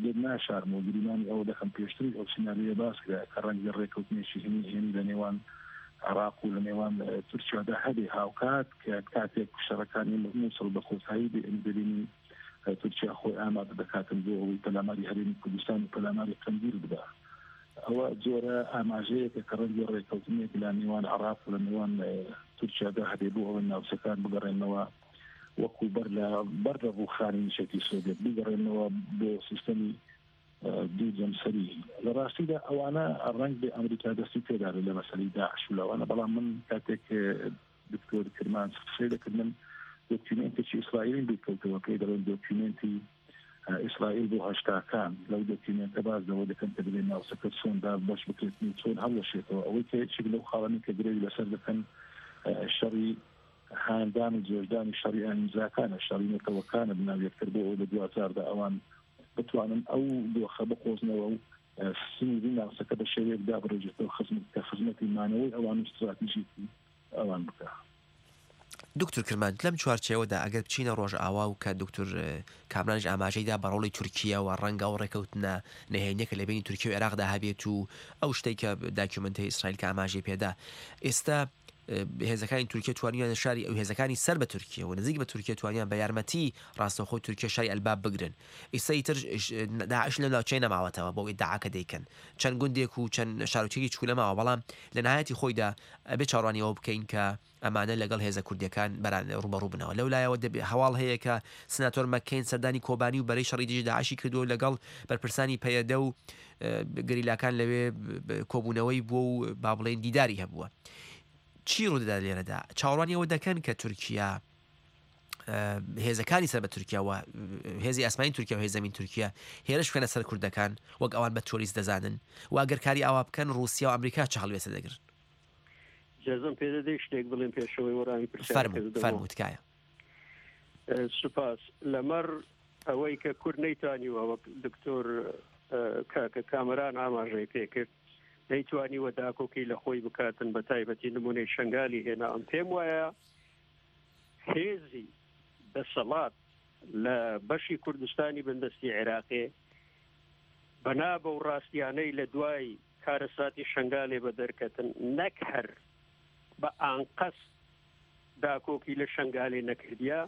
لێت ناشارم و گریمانی ئەوە دەکەم پێشتری ئەو سیناریۆیە باس کرا کە ڕەنگی ڕێککەوتنێکی هێنی لە نێوان عێراق و لە نێوان تورکیادا هەبێ، هاوکات کە کاتێک شەڕەکانی مووسڵ بە کۆتایی بێ دەبینین تورکیا خۆی ئامادە دەکاتن بۆ ئەوەی پەلاماری هەرێمی کوردستان و پەلاماری قەندیل بدا. ئەوە جۆرە ئاماژەیەکە کە ڕەنگی ڕێککەوتنێک لە نێوان عێراق و لە نێوان تورکیادا هەبێ بۆ ئەوەی ناوچەکان بگەڕێنەوە وەکو بەر لە بەر لە ڕووخانی یەکێتی سۆڤیەت، بگەڕێنەوە بۆ سیستەمی دوو جەمسەری. لە ڕاستیدا ئەوانە ڕەنگ بێ ئەمریکا دەستی پێدابێت لە مەسەلەی داعش و لەوانە، بەڵام من کاتێک دکتۆر کرمانج قسەی دەکرد من دۆکیومێنتێکی ئیسرائیلیم بیرکەوتەوە پێی دەڵێن دۆکیومێنتی ئیسرائیل بۆ هەشتاکان. لەو دۆکیومێنتە باس لەوە دەکەن کە دەبێت ناوچەکە چۆن بەش بکرێت و چۆن هەڵوەشێتەوە. ئەوەی کە یەکێک لەو خاڵانەی کە گرەوی لەسەر دەکەن شەڕی هاندان و جۆشدانی شەڕی ئایینزاکانە، شەڕی نەتەوەکانە بناو یەکتر بۆ ئەوەی لە دواجاردا ئەوان بتوانن ئەو دۆخە بقۆزنەوە و سنووری ناوچەکە بە شێوەیەک دابڕێژێتەوە کە خزمەتی مانەوەی ئەوان و ستراتیژیەتی ئەوان بکە. دکتۆر کرمانج، لەم چوارچێوەدا ئەگەر بچینە ڕۆژئاوا و کە دکتۆر کامرانیش ئاماژەیدا بە ڕۆڵی تورکیا و ڕەنگە ئەو ڕێکەوتنە نهێنیەکە لە بینی تورکیا و عێراقدا هەبێت و ئەو شتێک کە داکیومنتەی ئیسرائیل کە ئاماژەی پێدا، ئێستا هێزەکانی تورکیا توانیان شاری ئەو هێزەکانی سەر بە تورکیا و نزیک بە تورکیا توانیان بە یارمەتی ڕاستەوخۆی تورکیا شاری ئەلباب بگرن. ئێستا ئیتر داعش لە ناوچەی نەماوەتەوە بۆ ئیدعاکە دەیکەن، چەند گوندێک و چەند شارۆچکێکی چکولە ماوە، بەڵام لە نهایەتی خۆیدا ئەبێ چاوەڕوانی ئەوە بکەین کە ئەمانە لەگەڵ هێزە کوردیەکان بەران ڕوبەڕوو بنەوە. لەو لایەوە هەواڵ هەیە کە سناتۆر مەککەین سەردانی کۆبانی و بەرەی شەڕی دژی داعشی کردووە لەگەڵ بەرپرسانی پەیەدە و گەریلاکان لەوێ کۆبوونەوەی بووە و با بڵێن دیداری هەبووە. چی ڕوودەدات لێرەدا؟ چاوەڕوانی ئەوە دەکەن کە تورکیا هێزەکانی سەر بە تورکیا و هێزی ئاسمانی تورکیا و هێزی زەمین تورکیا هێرش بکەنە سەر کوردەکان وەک ئەوان بە تۆریست دەزانن و ئەگەر کاری ئاوا بکەن ڕووسیا و ئەمریکا چه هەڵوێستە دەگرن؟ جازم پێدەدەی شتێک بڵێم پێشەوەی وەڵامی پرسیارەکە بدەمەوە؟ فەرموو تکایە. سوپاس. لەمەڕ ئەوەی کە کورد نەیتوانیوە وەک دکتۆر کاکە کامەران ئاماژەی پێکرد نەیتوانیوە داکۆکی لە خۆی بکاتن، بە تایبەتی نمونەی شەنگالی هێنا. ئەم پێم وایە هێزی دەسەڵات لە بەشی کوردستانی بندەستی عێراقێ بەنا بەو ڕاستیانەی لە دوای کارەساتی شەنگالێ بە دەرکەتن نەک هەر بە ئانقەست داکۆکی لە شەنگالێ نەکردیا،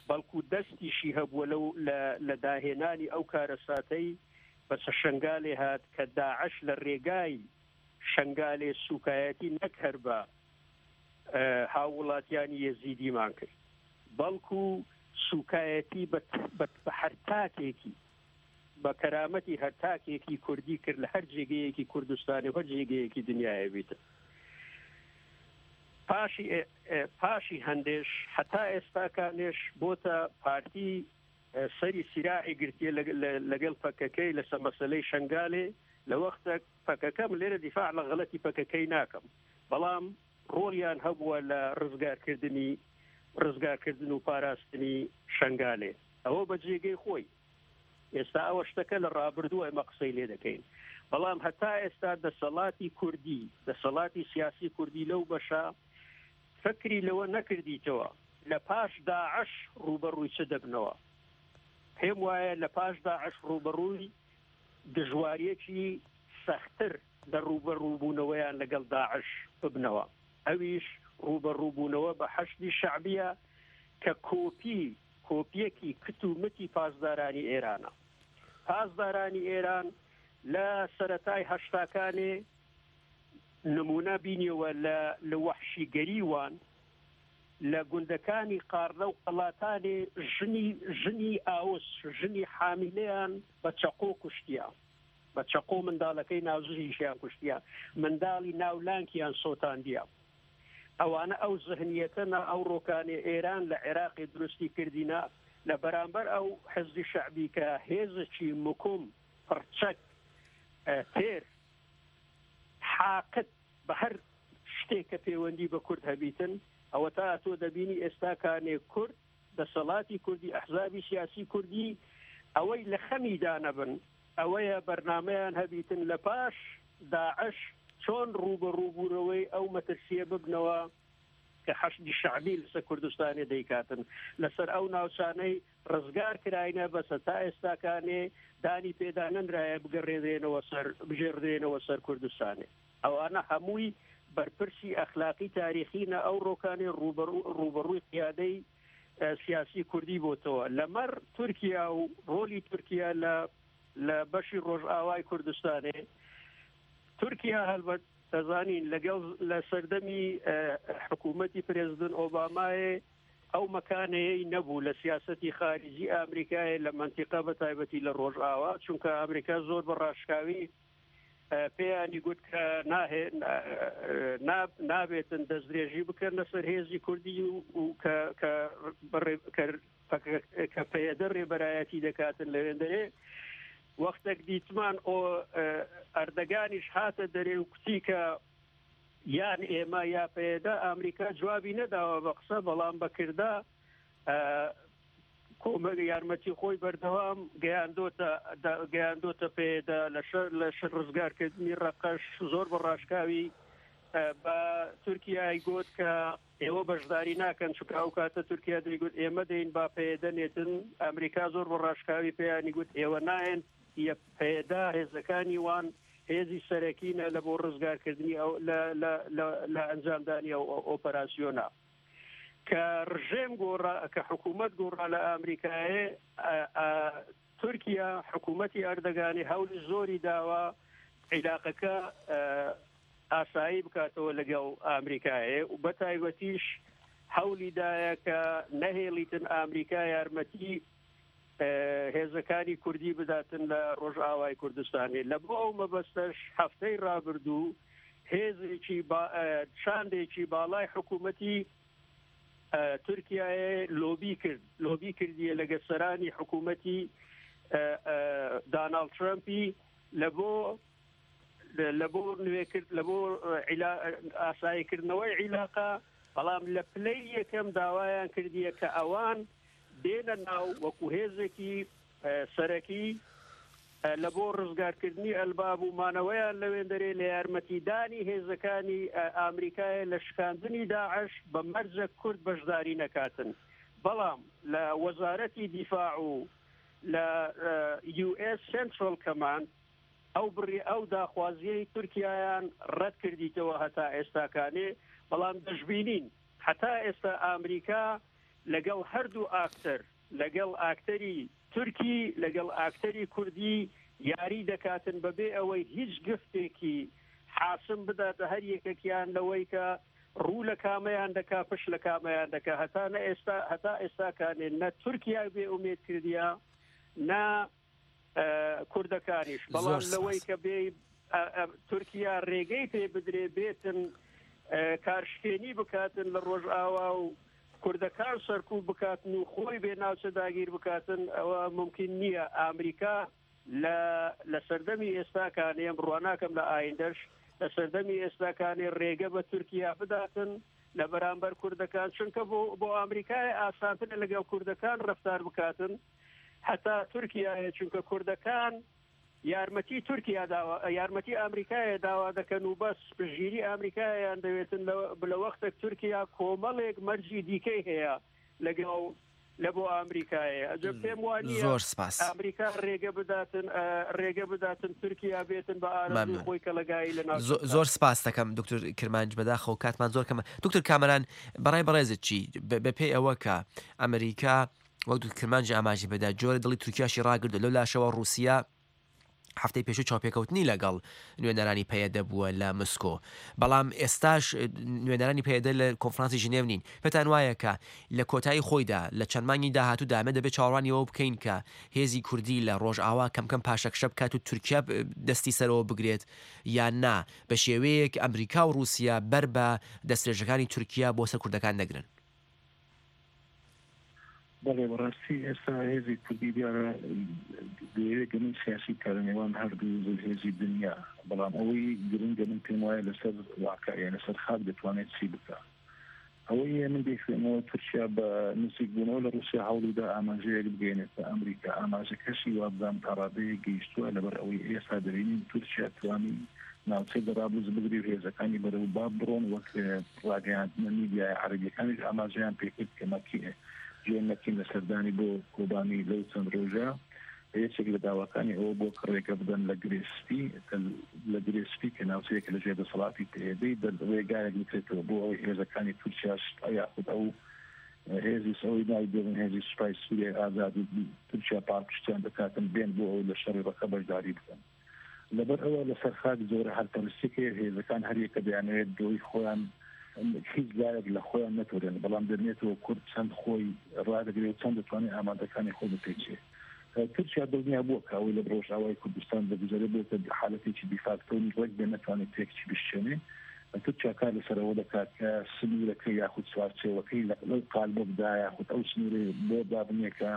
بەڵکو دەستیشی هەبووە لەو لە داهێنانی ئەو کارەساتەی بەسە شەنگالێ هات کە داعش لە ڕێگای شەنگالێ سوکایەتی نەک هەر بە هاووڵاتیانی یەزیدیمان کرد، بەڵکو سوکایەتی بە هەر تاکێکی بە کەرامەتی هەر تاکێکی کوردی کرد لە هەر جێگەیەکی کوردستانی و هەر جێگەیەکی دنیاە بیتن. پاشی پاشی هەندێش هەتا ئێستاکانێش بۆتە پارتی سەری سیراعی گرتیە لەگەڵ پەکەکەی لەسەر مەسەلەی شەنگالێ. لە وەختە پەکەکەم لێرە دیفاع لە غەڵەتی پەکەکەی ناکەم، بەڵام ڕۆڵیان هەبووە لە ڕزگارکردنی ڕزگارکردن و پاراستنی شەنگالێ. ئەوە بە جێگەی خۆی. ئێستا ئەوە شتەکە لە ڕابردوو ئێمە قسەی لێ دەکەین، بەڵام هەتا ئێستا دەسەڵاتی کوردی، دەسەڵاتی سیاسی کوردی لەو بەشە فکری لەوە نەکردیتەوە لە پاش داعش ڕووبەڕووی چ دەبنەوە. پێم وایە لە پاش داعش ڕووبەڕووی دژواریەکی سەختتر لە ڕووبەڕووبوونەوەیان لەگەڵ داعش ببنەوە، ئەویش ڕووبەڕووبوونەوە بە حەشدی شەعبیە کە کۆپی کۆپیەکی کت و متی پاسدارانی ئێرانە. پاسدارانی ئێران لە سەرەتای هەشتاکانێ نمونە بینیەوە لە وەحشیگەری وان لە گوندەکانی قارلە و قەڵاتانی ژنی ژنی ئاوس، ژنی حامیلەیان بە چەقۆ کوشتیە، بە چەقۆ منداڵەکەی ناوزیشیان کوشتیە، منداڵی ناولانکیان سۆتاندیە. ئەوانە ئەو زهنیەتەنە ئەو ڕۆکانی ئێران لە عێراقی دروستی کردینە لە بەرامبەر ئەو حزبی شەعبی کە هێزێکی مکوم پڕچەک تێر حاقت بە هەر شتێک کە پەیوەندی بە کورد هەبیتن، ئەوە تا تۆ دەبینی ئێستا کانێ کورد، دەسەڵاتی کوردی، ئەحزابی سیاسی کوردی ئەوەی لە خەمیدا نەبن، ئەوەیە بەرنامەیان هەبیتن لە پاش داعش چۆن ڕووبەڕووبوونەوەی ئەو مەترسیە ببنەوە کە حەشدی شەعبی لەسەر کوردستانی دەیکاتن، لەسەر ئەو ناوچانەی ڕزگار کراینە بەسە تا ئێستاکانێ دانی پێدا نەنرایە بگەڕێنرێنەوە سەر بژێڕدرێنەوە سەر کوردستانی. ئەوانە هەمووی بەرپرسی ئەخلاقی تاریخینە ئەو ڕۆکانی ڕووبەڕووی قیادەی سیاسی کوردی بۆتەوە. لەمەڕ تورکیا و ڕۆلی تورکیا لە لە بەشی ڕۆژئاوای کوردستانێ، تورکیا هەلبەت دەزانین لەگەڵ لە سەردەمی حکوومەتی پرێزیدنت ئۆبامایە ئەو مەکانەیەی نەبوو لە سیاسەتی خارجی ئەمریکایە لە منتیقە بە تایبەتی لە ڕۆژئاوا، چونکە ئەمریکا زۆر بە ڕاشکاوی پێیانی گوت کە نابێتن دەستدرێژی بکەن لەسەر هێزی کوردی و کە پەیەدە ڕێبەرایەتی دەکاتن لەوێندەرێ. وەختێک دیتمان ئەردەگانیش هاتە دەرێ و کوتی کە یان ئێمە یا پەیەدە، ئەمریکا جوابی نەداوە بە قسە، بەڵام بەکردا کۆمەک یارمەتی خۆی بەردەوام گەیاندۆتە پێدا لە شەر ڕزگارکردنی ڕەقەش. زۆر بە ڕاشکاوی بە تورکیای گوت کە ئێوە بەشداری ناکەن، چونکە ئەو کاتە تورکیا دەیگوت ئێمە دەین با پێدە نێتن. ئەمریکا زۆر بە ڕاشکاوی پێیانی گوت ئێوە نایەن، پێدا هێزەکانی وان هێزی سەرەکینە لە بۆ ڕزگارکردنی ئەو لە ئەنجامدانی ئەو ئۆپەراسیۆنە. کە ڕژێم گۆڕا، کە حکوومەت گۆڕا لە ئەمریکایە، تورکیا حکوومەتی ئەردەگانی هەولی زۆری داوە عیلاقەکە ئاسایی بکاتەوە لەگەڵ ئەمریکایە و بە تایبەتیش هەولی دایە کە نەهێڵیتن ئەمریکا یارمەتی هێزەکانی کوردی بداتن لە ڕۆژئاوای کوردستانی. لە بۆ ئەو مەبەستەش هەفتەی ڕابردوو هێزێکی شاندێکی باڵای حکوومەتی تورکیای لۆبی کرد، لۆبی کردیە لەگە سەرانی حکوومەتی داناڵد ترەمپی لە بۆ لە بۆ نوێکرد لە بۆ ئاساییکردنەوەی عیلاقە، بەڵام لە پلەی یەکەم داوایان کردیە کە ئەوان دێنە ناو وەکو هێزێکی سەرەکی لە بۆ ڕزگارکردنی ئەلباب و مانەوەیان لەوێندەرێ لە یارمەتیدانی هێزەکانی ئەمریکایە لە شکاندنی داعش بە مەرجە کورد بەشداری نەکاتن. بەڵام لە وەزارەتی دیفاع و لە US Central Command ئەو بڕی ئەو داخوازیەی تورکیایان ڕەت کردیتەوە هەتا ئێستاکانێ. بەڵام دەشبینین هەتا ئێستا ئەمریکا لەگەڵ هەردوو ئاکتەر، لەگەڵ ئاکتەری تورکی لەگەڵ ئاکتەری کوردی یاری دەکاتن بەبێ ئەوەی هیچ گفتێکی حاسم بداتە هەر یەکێکیان لەوەی کە ڕوو لە کامەیان دەکا پشت لە کامەیان دەکا. هەتا نە ئێستا هەتا ئێستاکانێ نە تورکیا بێ ئومێد کردیا نە کوردەکانیش. بەڵام لەوەی کە بێ تورکیا ڕێگەی پێ بدرێ بێتن کارشکێنی بکاتن لە ڕۆژئاوا و کوردەکان سەرکوب بکاتن و خۆی بێ ناوچە داگیر بکاتن، ئەوە ممکن نییە. ئەمریکا لە لە سەردەمی ئێستاکانی ئەم ڕواناکەم لە ئایندەش لە سەردەمی ئێستاکانی ڕێگە بە تورکیا بداتن لە بەرامبەر کوردەکان، چونکە بۆ بۆ ئەمریکای ئاسانترە لەگەڵ کوردەکان ڕفتار بکاتن حتا تورکیایە، چونکە کوردەکان یارمەتی تورکیا داوا یارمەتی ئەمریکایە داوا دەکەن و بەس پشتگیری ئەمریکایان دەوێتن لە وەختێک تورکیا کۆمەڵێک مەرجی دیکەی هەیە لەگەڵ لە بۆ ئەمریکایە. ئەجە پێم وانییە زۆر سپاس. ئەمریکا ڕێگە بداتن ڕێگە بداتن تورکیا بێتن بە ئارەزووی خۆی کەلەگایی لە ناوچە. زۆر سپاس دەکەم دکتۆر کرمانج، بەداخەوە کاتمان زۆر کەمە. دکتۆر کامەران، بەڕای بەڕێزت چی بەپێی ئەوە کە ئەمریکا وەک دکتۆر کرمانج ئاماژەی پێدا جۆرە دڵی تورکیاشی ڕاگردو لەو لاشەوە ڕووسیا هەفتەی پێشوو چاوپێکەوتنی لەگەڵ نوێنەرانی پەیەدە بووە لە مسکۆ، بەڵام ئێستاش نوێنەرانی پەیەدە لە کۆنفرانسی ژنێو نین. پێتان وایە کە لە کۆتایی خۆیدا لە چەند مانگی داهاتوودا ئەمە دەبێت چاوەڕوانی ئەوە بکەین کە هێزی کوردی لە ڕۆژئاوا کەم کەم پاشەکشە بکات و تورکیا دەستی سەرەوە بگرێت، یان نا بە شێوەیەک ئەمریکا و ڕووسیا بەر بە دەسترێژەکانی تورکیا بۆ سەر کوردەکان نەگرن؟ بەڵێ، بەڕاستی ئێستا هێزی کوردی دیارە دەیەوێت گەمەی سیاسی بکات لە نێوان هەردوو زلهێزی دنیا، بەڵام ئەوەی گرنگە من پێم وایە لەسەر واقع یان لەسەر خاک دەتوانێت چی بکات. ئەوەی من دەیخوێنەوە تورکیا بە نزیکبوونەوە لە ڕووسیا هەوڵیدا ئاماژەیەک بگەێنێت بە ئەمریکا، ئاماژەکەشی وابزانم تا ڕادەیەک گەیشتووە، لەبەر ئەوەی ئێستا دەبینین تورکیا توانی ناوچەی جەرابلس بگری و هێزەکانی بەرەو باب بڕۆن، وەک ڕاگەیاندنە میدیای عەرەبیەکانیش ئاماژەیان پێکرد کە مەکی جێن مەکین لە سەردانی بۆ کۆبانی لەو چەند ڕۆژە یەکێک لە داواکانی ئەوە بۆ کە ڕێگە بدەن لە گرێ سپی لە گرێ سپی کە ناوچەیەکە لەژێر دەسەڵاتی پەیەدەی ڕێگایەک بکرێتەوە بۆ ئەوەی هێزەکانی تورکیاش یاخود ئەو هێزی ئەوەی ناوی دێنن هێزی سوپای سووریای ئازاد و تورکیا پاڵپشتیان دەکاتن بێن بۆ ئەوەی لە شەڕی ڕەقە بەشداری بکەن. لەبەر ئەوە لەسەر خاک زۆرە هەرپەرستیەک هەیە، هێزەکان هەریەکە دەیانەوێت دۆی خۆیان هیچ لایەک لە خۆیان نەتۆرێن، بەڵام دەبێتەوە کورد چەند خۆی ڕادەگرێت و چەند دەتوانێت ئامادەکانی خۆی بپێچێ. تورکیا دڵنیا بووە کە ئەوەی لە ڕۆژئاوای کوردستان دەگوزەرێ بۆتە حالەتێکی دیفاکتۆ ڕێک بێ نەتوانێت تێکچی بشکێنێ. تورکیا کار لەسەر ئەوە دەکات کە سنوورەکە یاخود چوارچێوەکەی لەو قالبە بدا یاخود ئەو سنوورەی بۆ دابنێ کە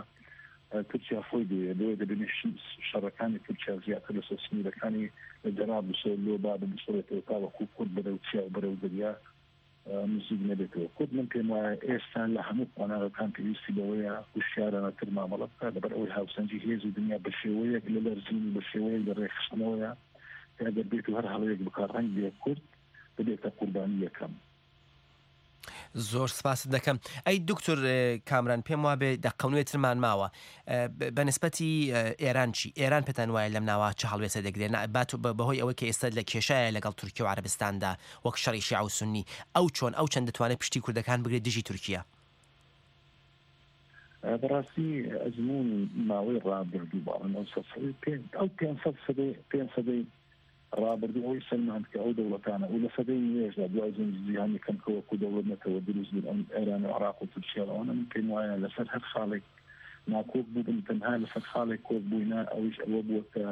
تورکیا خۆی دەوێت. بۆیە دەبینێت شەڕەکانی تورکیا زیاتر لەسەر سنوورەکانی لە جەرابلسەوە لۆ باب بسڕێتەوە تاوەکو کورد بەرەو چیا و بەرەو دەریا نزیک نەبێتەوە. کورد من پێم وایە ئێستا لە هەموو قۆناغەکان پێویستی بەوەیە هوشیارانەتر مامەڵە بکات، لەبەر ئەوەی هاوسەنگی هێزی دنیا بە شێوەیەک لە لەرزین و بە شێوەیەک لە ڕێکخستنەوەیە کە ئەگەر بێت و هەر هەڵەیەک بکات ڕەنگ بێ کورد ببێتە قوربانی یەکەم. زۆر سپاست دەکەم. ئەی دکتۆر کامران، پێم وابێ دەقەونوێترمان ماوە بە نسبەتی ئێران چی؟ ئێران پێتان وایە لەم ناوە چه هەڵوێستە دەگرێت؟ بات بەهۆی ئەوەی کە ئێستا لە کێشایە لەگەڵ تورکیا و عەرەبستاندا وەک شەڕی شیعە و سوننی، ئەو چۆن ئەو چەند دەتوانێت پشتی کوردەکان بگرێت دژی تورکیا؟ بەڕاستی ئەزموونی ماوەی ڕابردوو باڵن ئەو پێنج سەدەی ڕابردوو ئەوەی سەلماند کە ئەو دەوڵەتانە و لە سەدەی نوێژدا دوای جەنگی جیهانی یەکەم کە وەکو دەوڵەت نەتەوە دروست بوون ئەم ئێران و عێراق و تورکیا ئەوانە من پێم وایە لەسەر هەر خاڵێک ناکۆک بووبن، تەنها لەسەر خاڵێک کۆک بووینە، ئەویش ئەوە بووە کە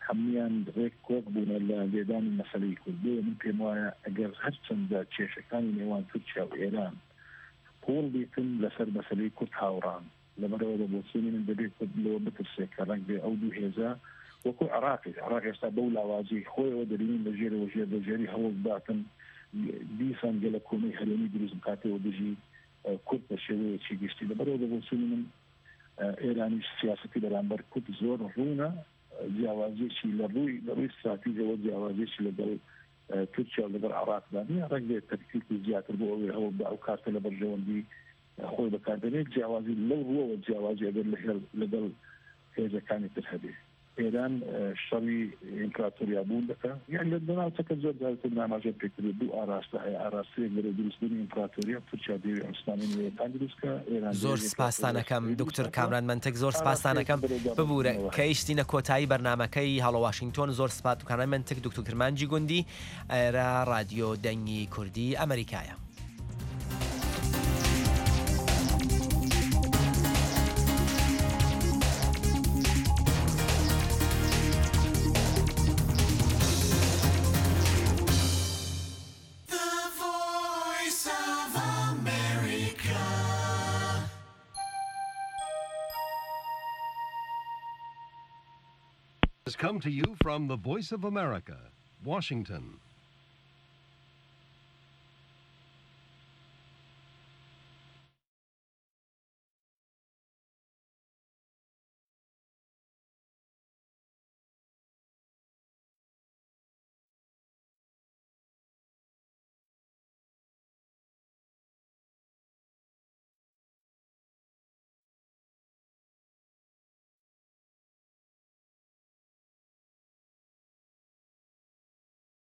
هەمویان ڕێک کۆک بوونە لە لێدانی مەسەلەی کورد. بۆیە من پێم وایە ئەگەر هەرچەندە کێشەکانی نێوان تورکیا و ئێران قوڵ بیتن لەسەر مەسەلەی کورد هاوڕان، لەبەرەوە بە بۆچوونی من دەبێت کورد لەوە بترسێت کە ڕەنگ بێ ئەو دوو هێزە وەکو عێراقی عێراق ئێستا بەو لاوازی خۆیەوە دەبینین لە ژێرەوە ژێر بە ژێری هەوڵ بداتن دیسان گەلە کۆمەی هەرێمی دروست بکاتەوە دژی کورد بە شێوەیەکی گشتی. لەبەرەوە بە بۆچوونی من ئێرانیش سیاسەتی بەرامبەر کورد زۆر ڕوونە، جیاوازیەکی لە ڕووی لە ڕووی استراتیژەوە جیاوازیەکی لەگەڵ تورکیا و لەگەڵ عێراقدا نییە، ڕەنگ بێت تەکتیکی زیاتر بۆ ئەوەی هەوڵ بە ئەو کارتە لە بەرژەوەندی خۆی بەکاردێنێت. جیاوازی لەو ڕووەوە جیاوازی ئەگەر لەگەڵ هێزەکانی تر هەبێ. ئێران شەڕی ئیمپراتۆریا بوون دەکا، یان لە ناوچەکە زۆر جارتر ئاماژە پێکرد دوو ئاراستە هەیە، ئاراستەیەک بەرەو دروستبوونی ئیمپراتۆریا، تورکیا دەیەوێت عوسمانی نوێیەکان دروست بکا، ئێران زۆر سپاستانەکەم دکتۆر کامران مەنتک، زۆر سپاستانەکەم. ببوورە کەیشتینە کۆتایی بەرنامەکەی هەڵۆ واشنگتۆن. زۆر سپاس کامران مەنتک، دکتۆر کرمانجی گوندی، ئێرە رادیۆ دەنگی کوردی ئەمریکایە. Has come to you from the Voice of America, Washington.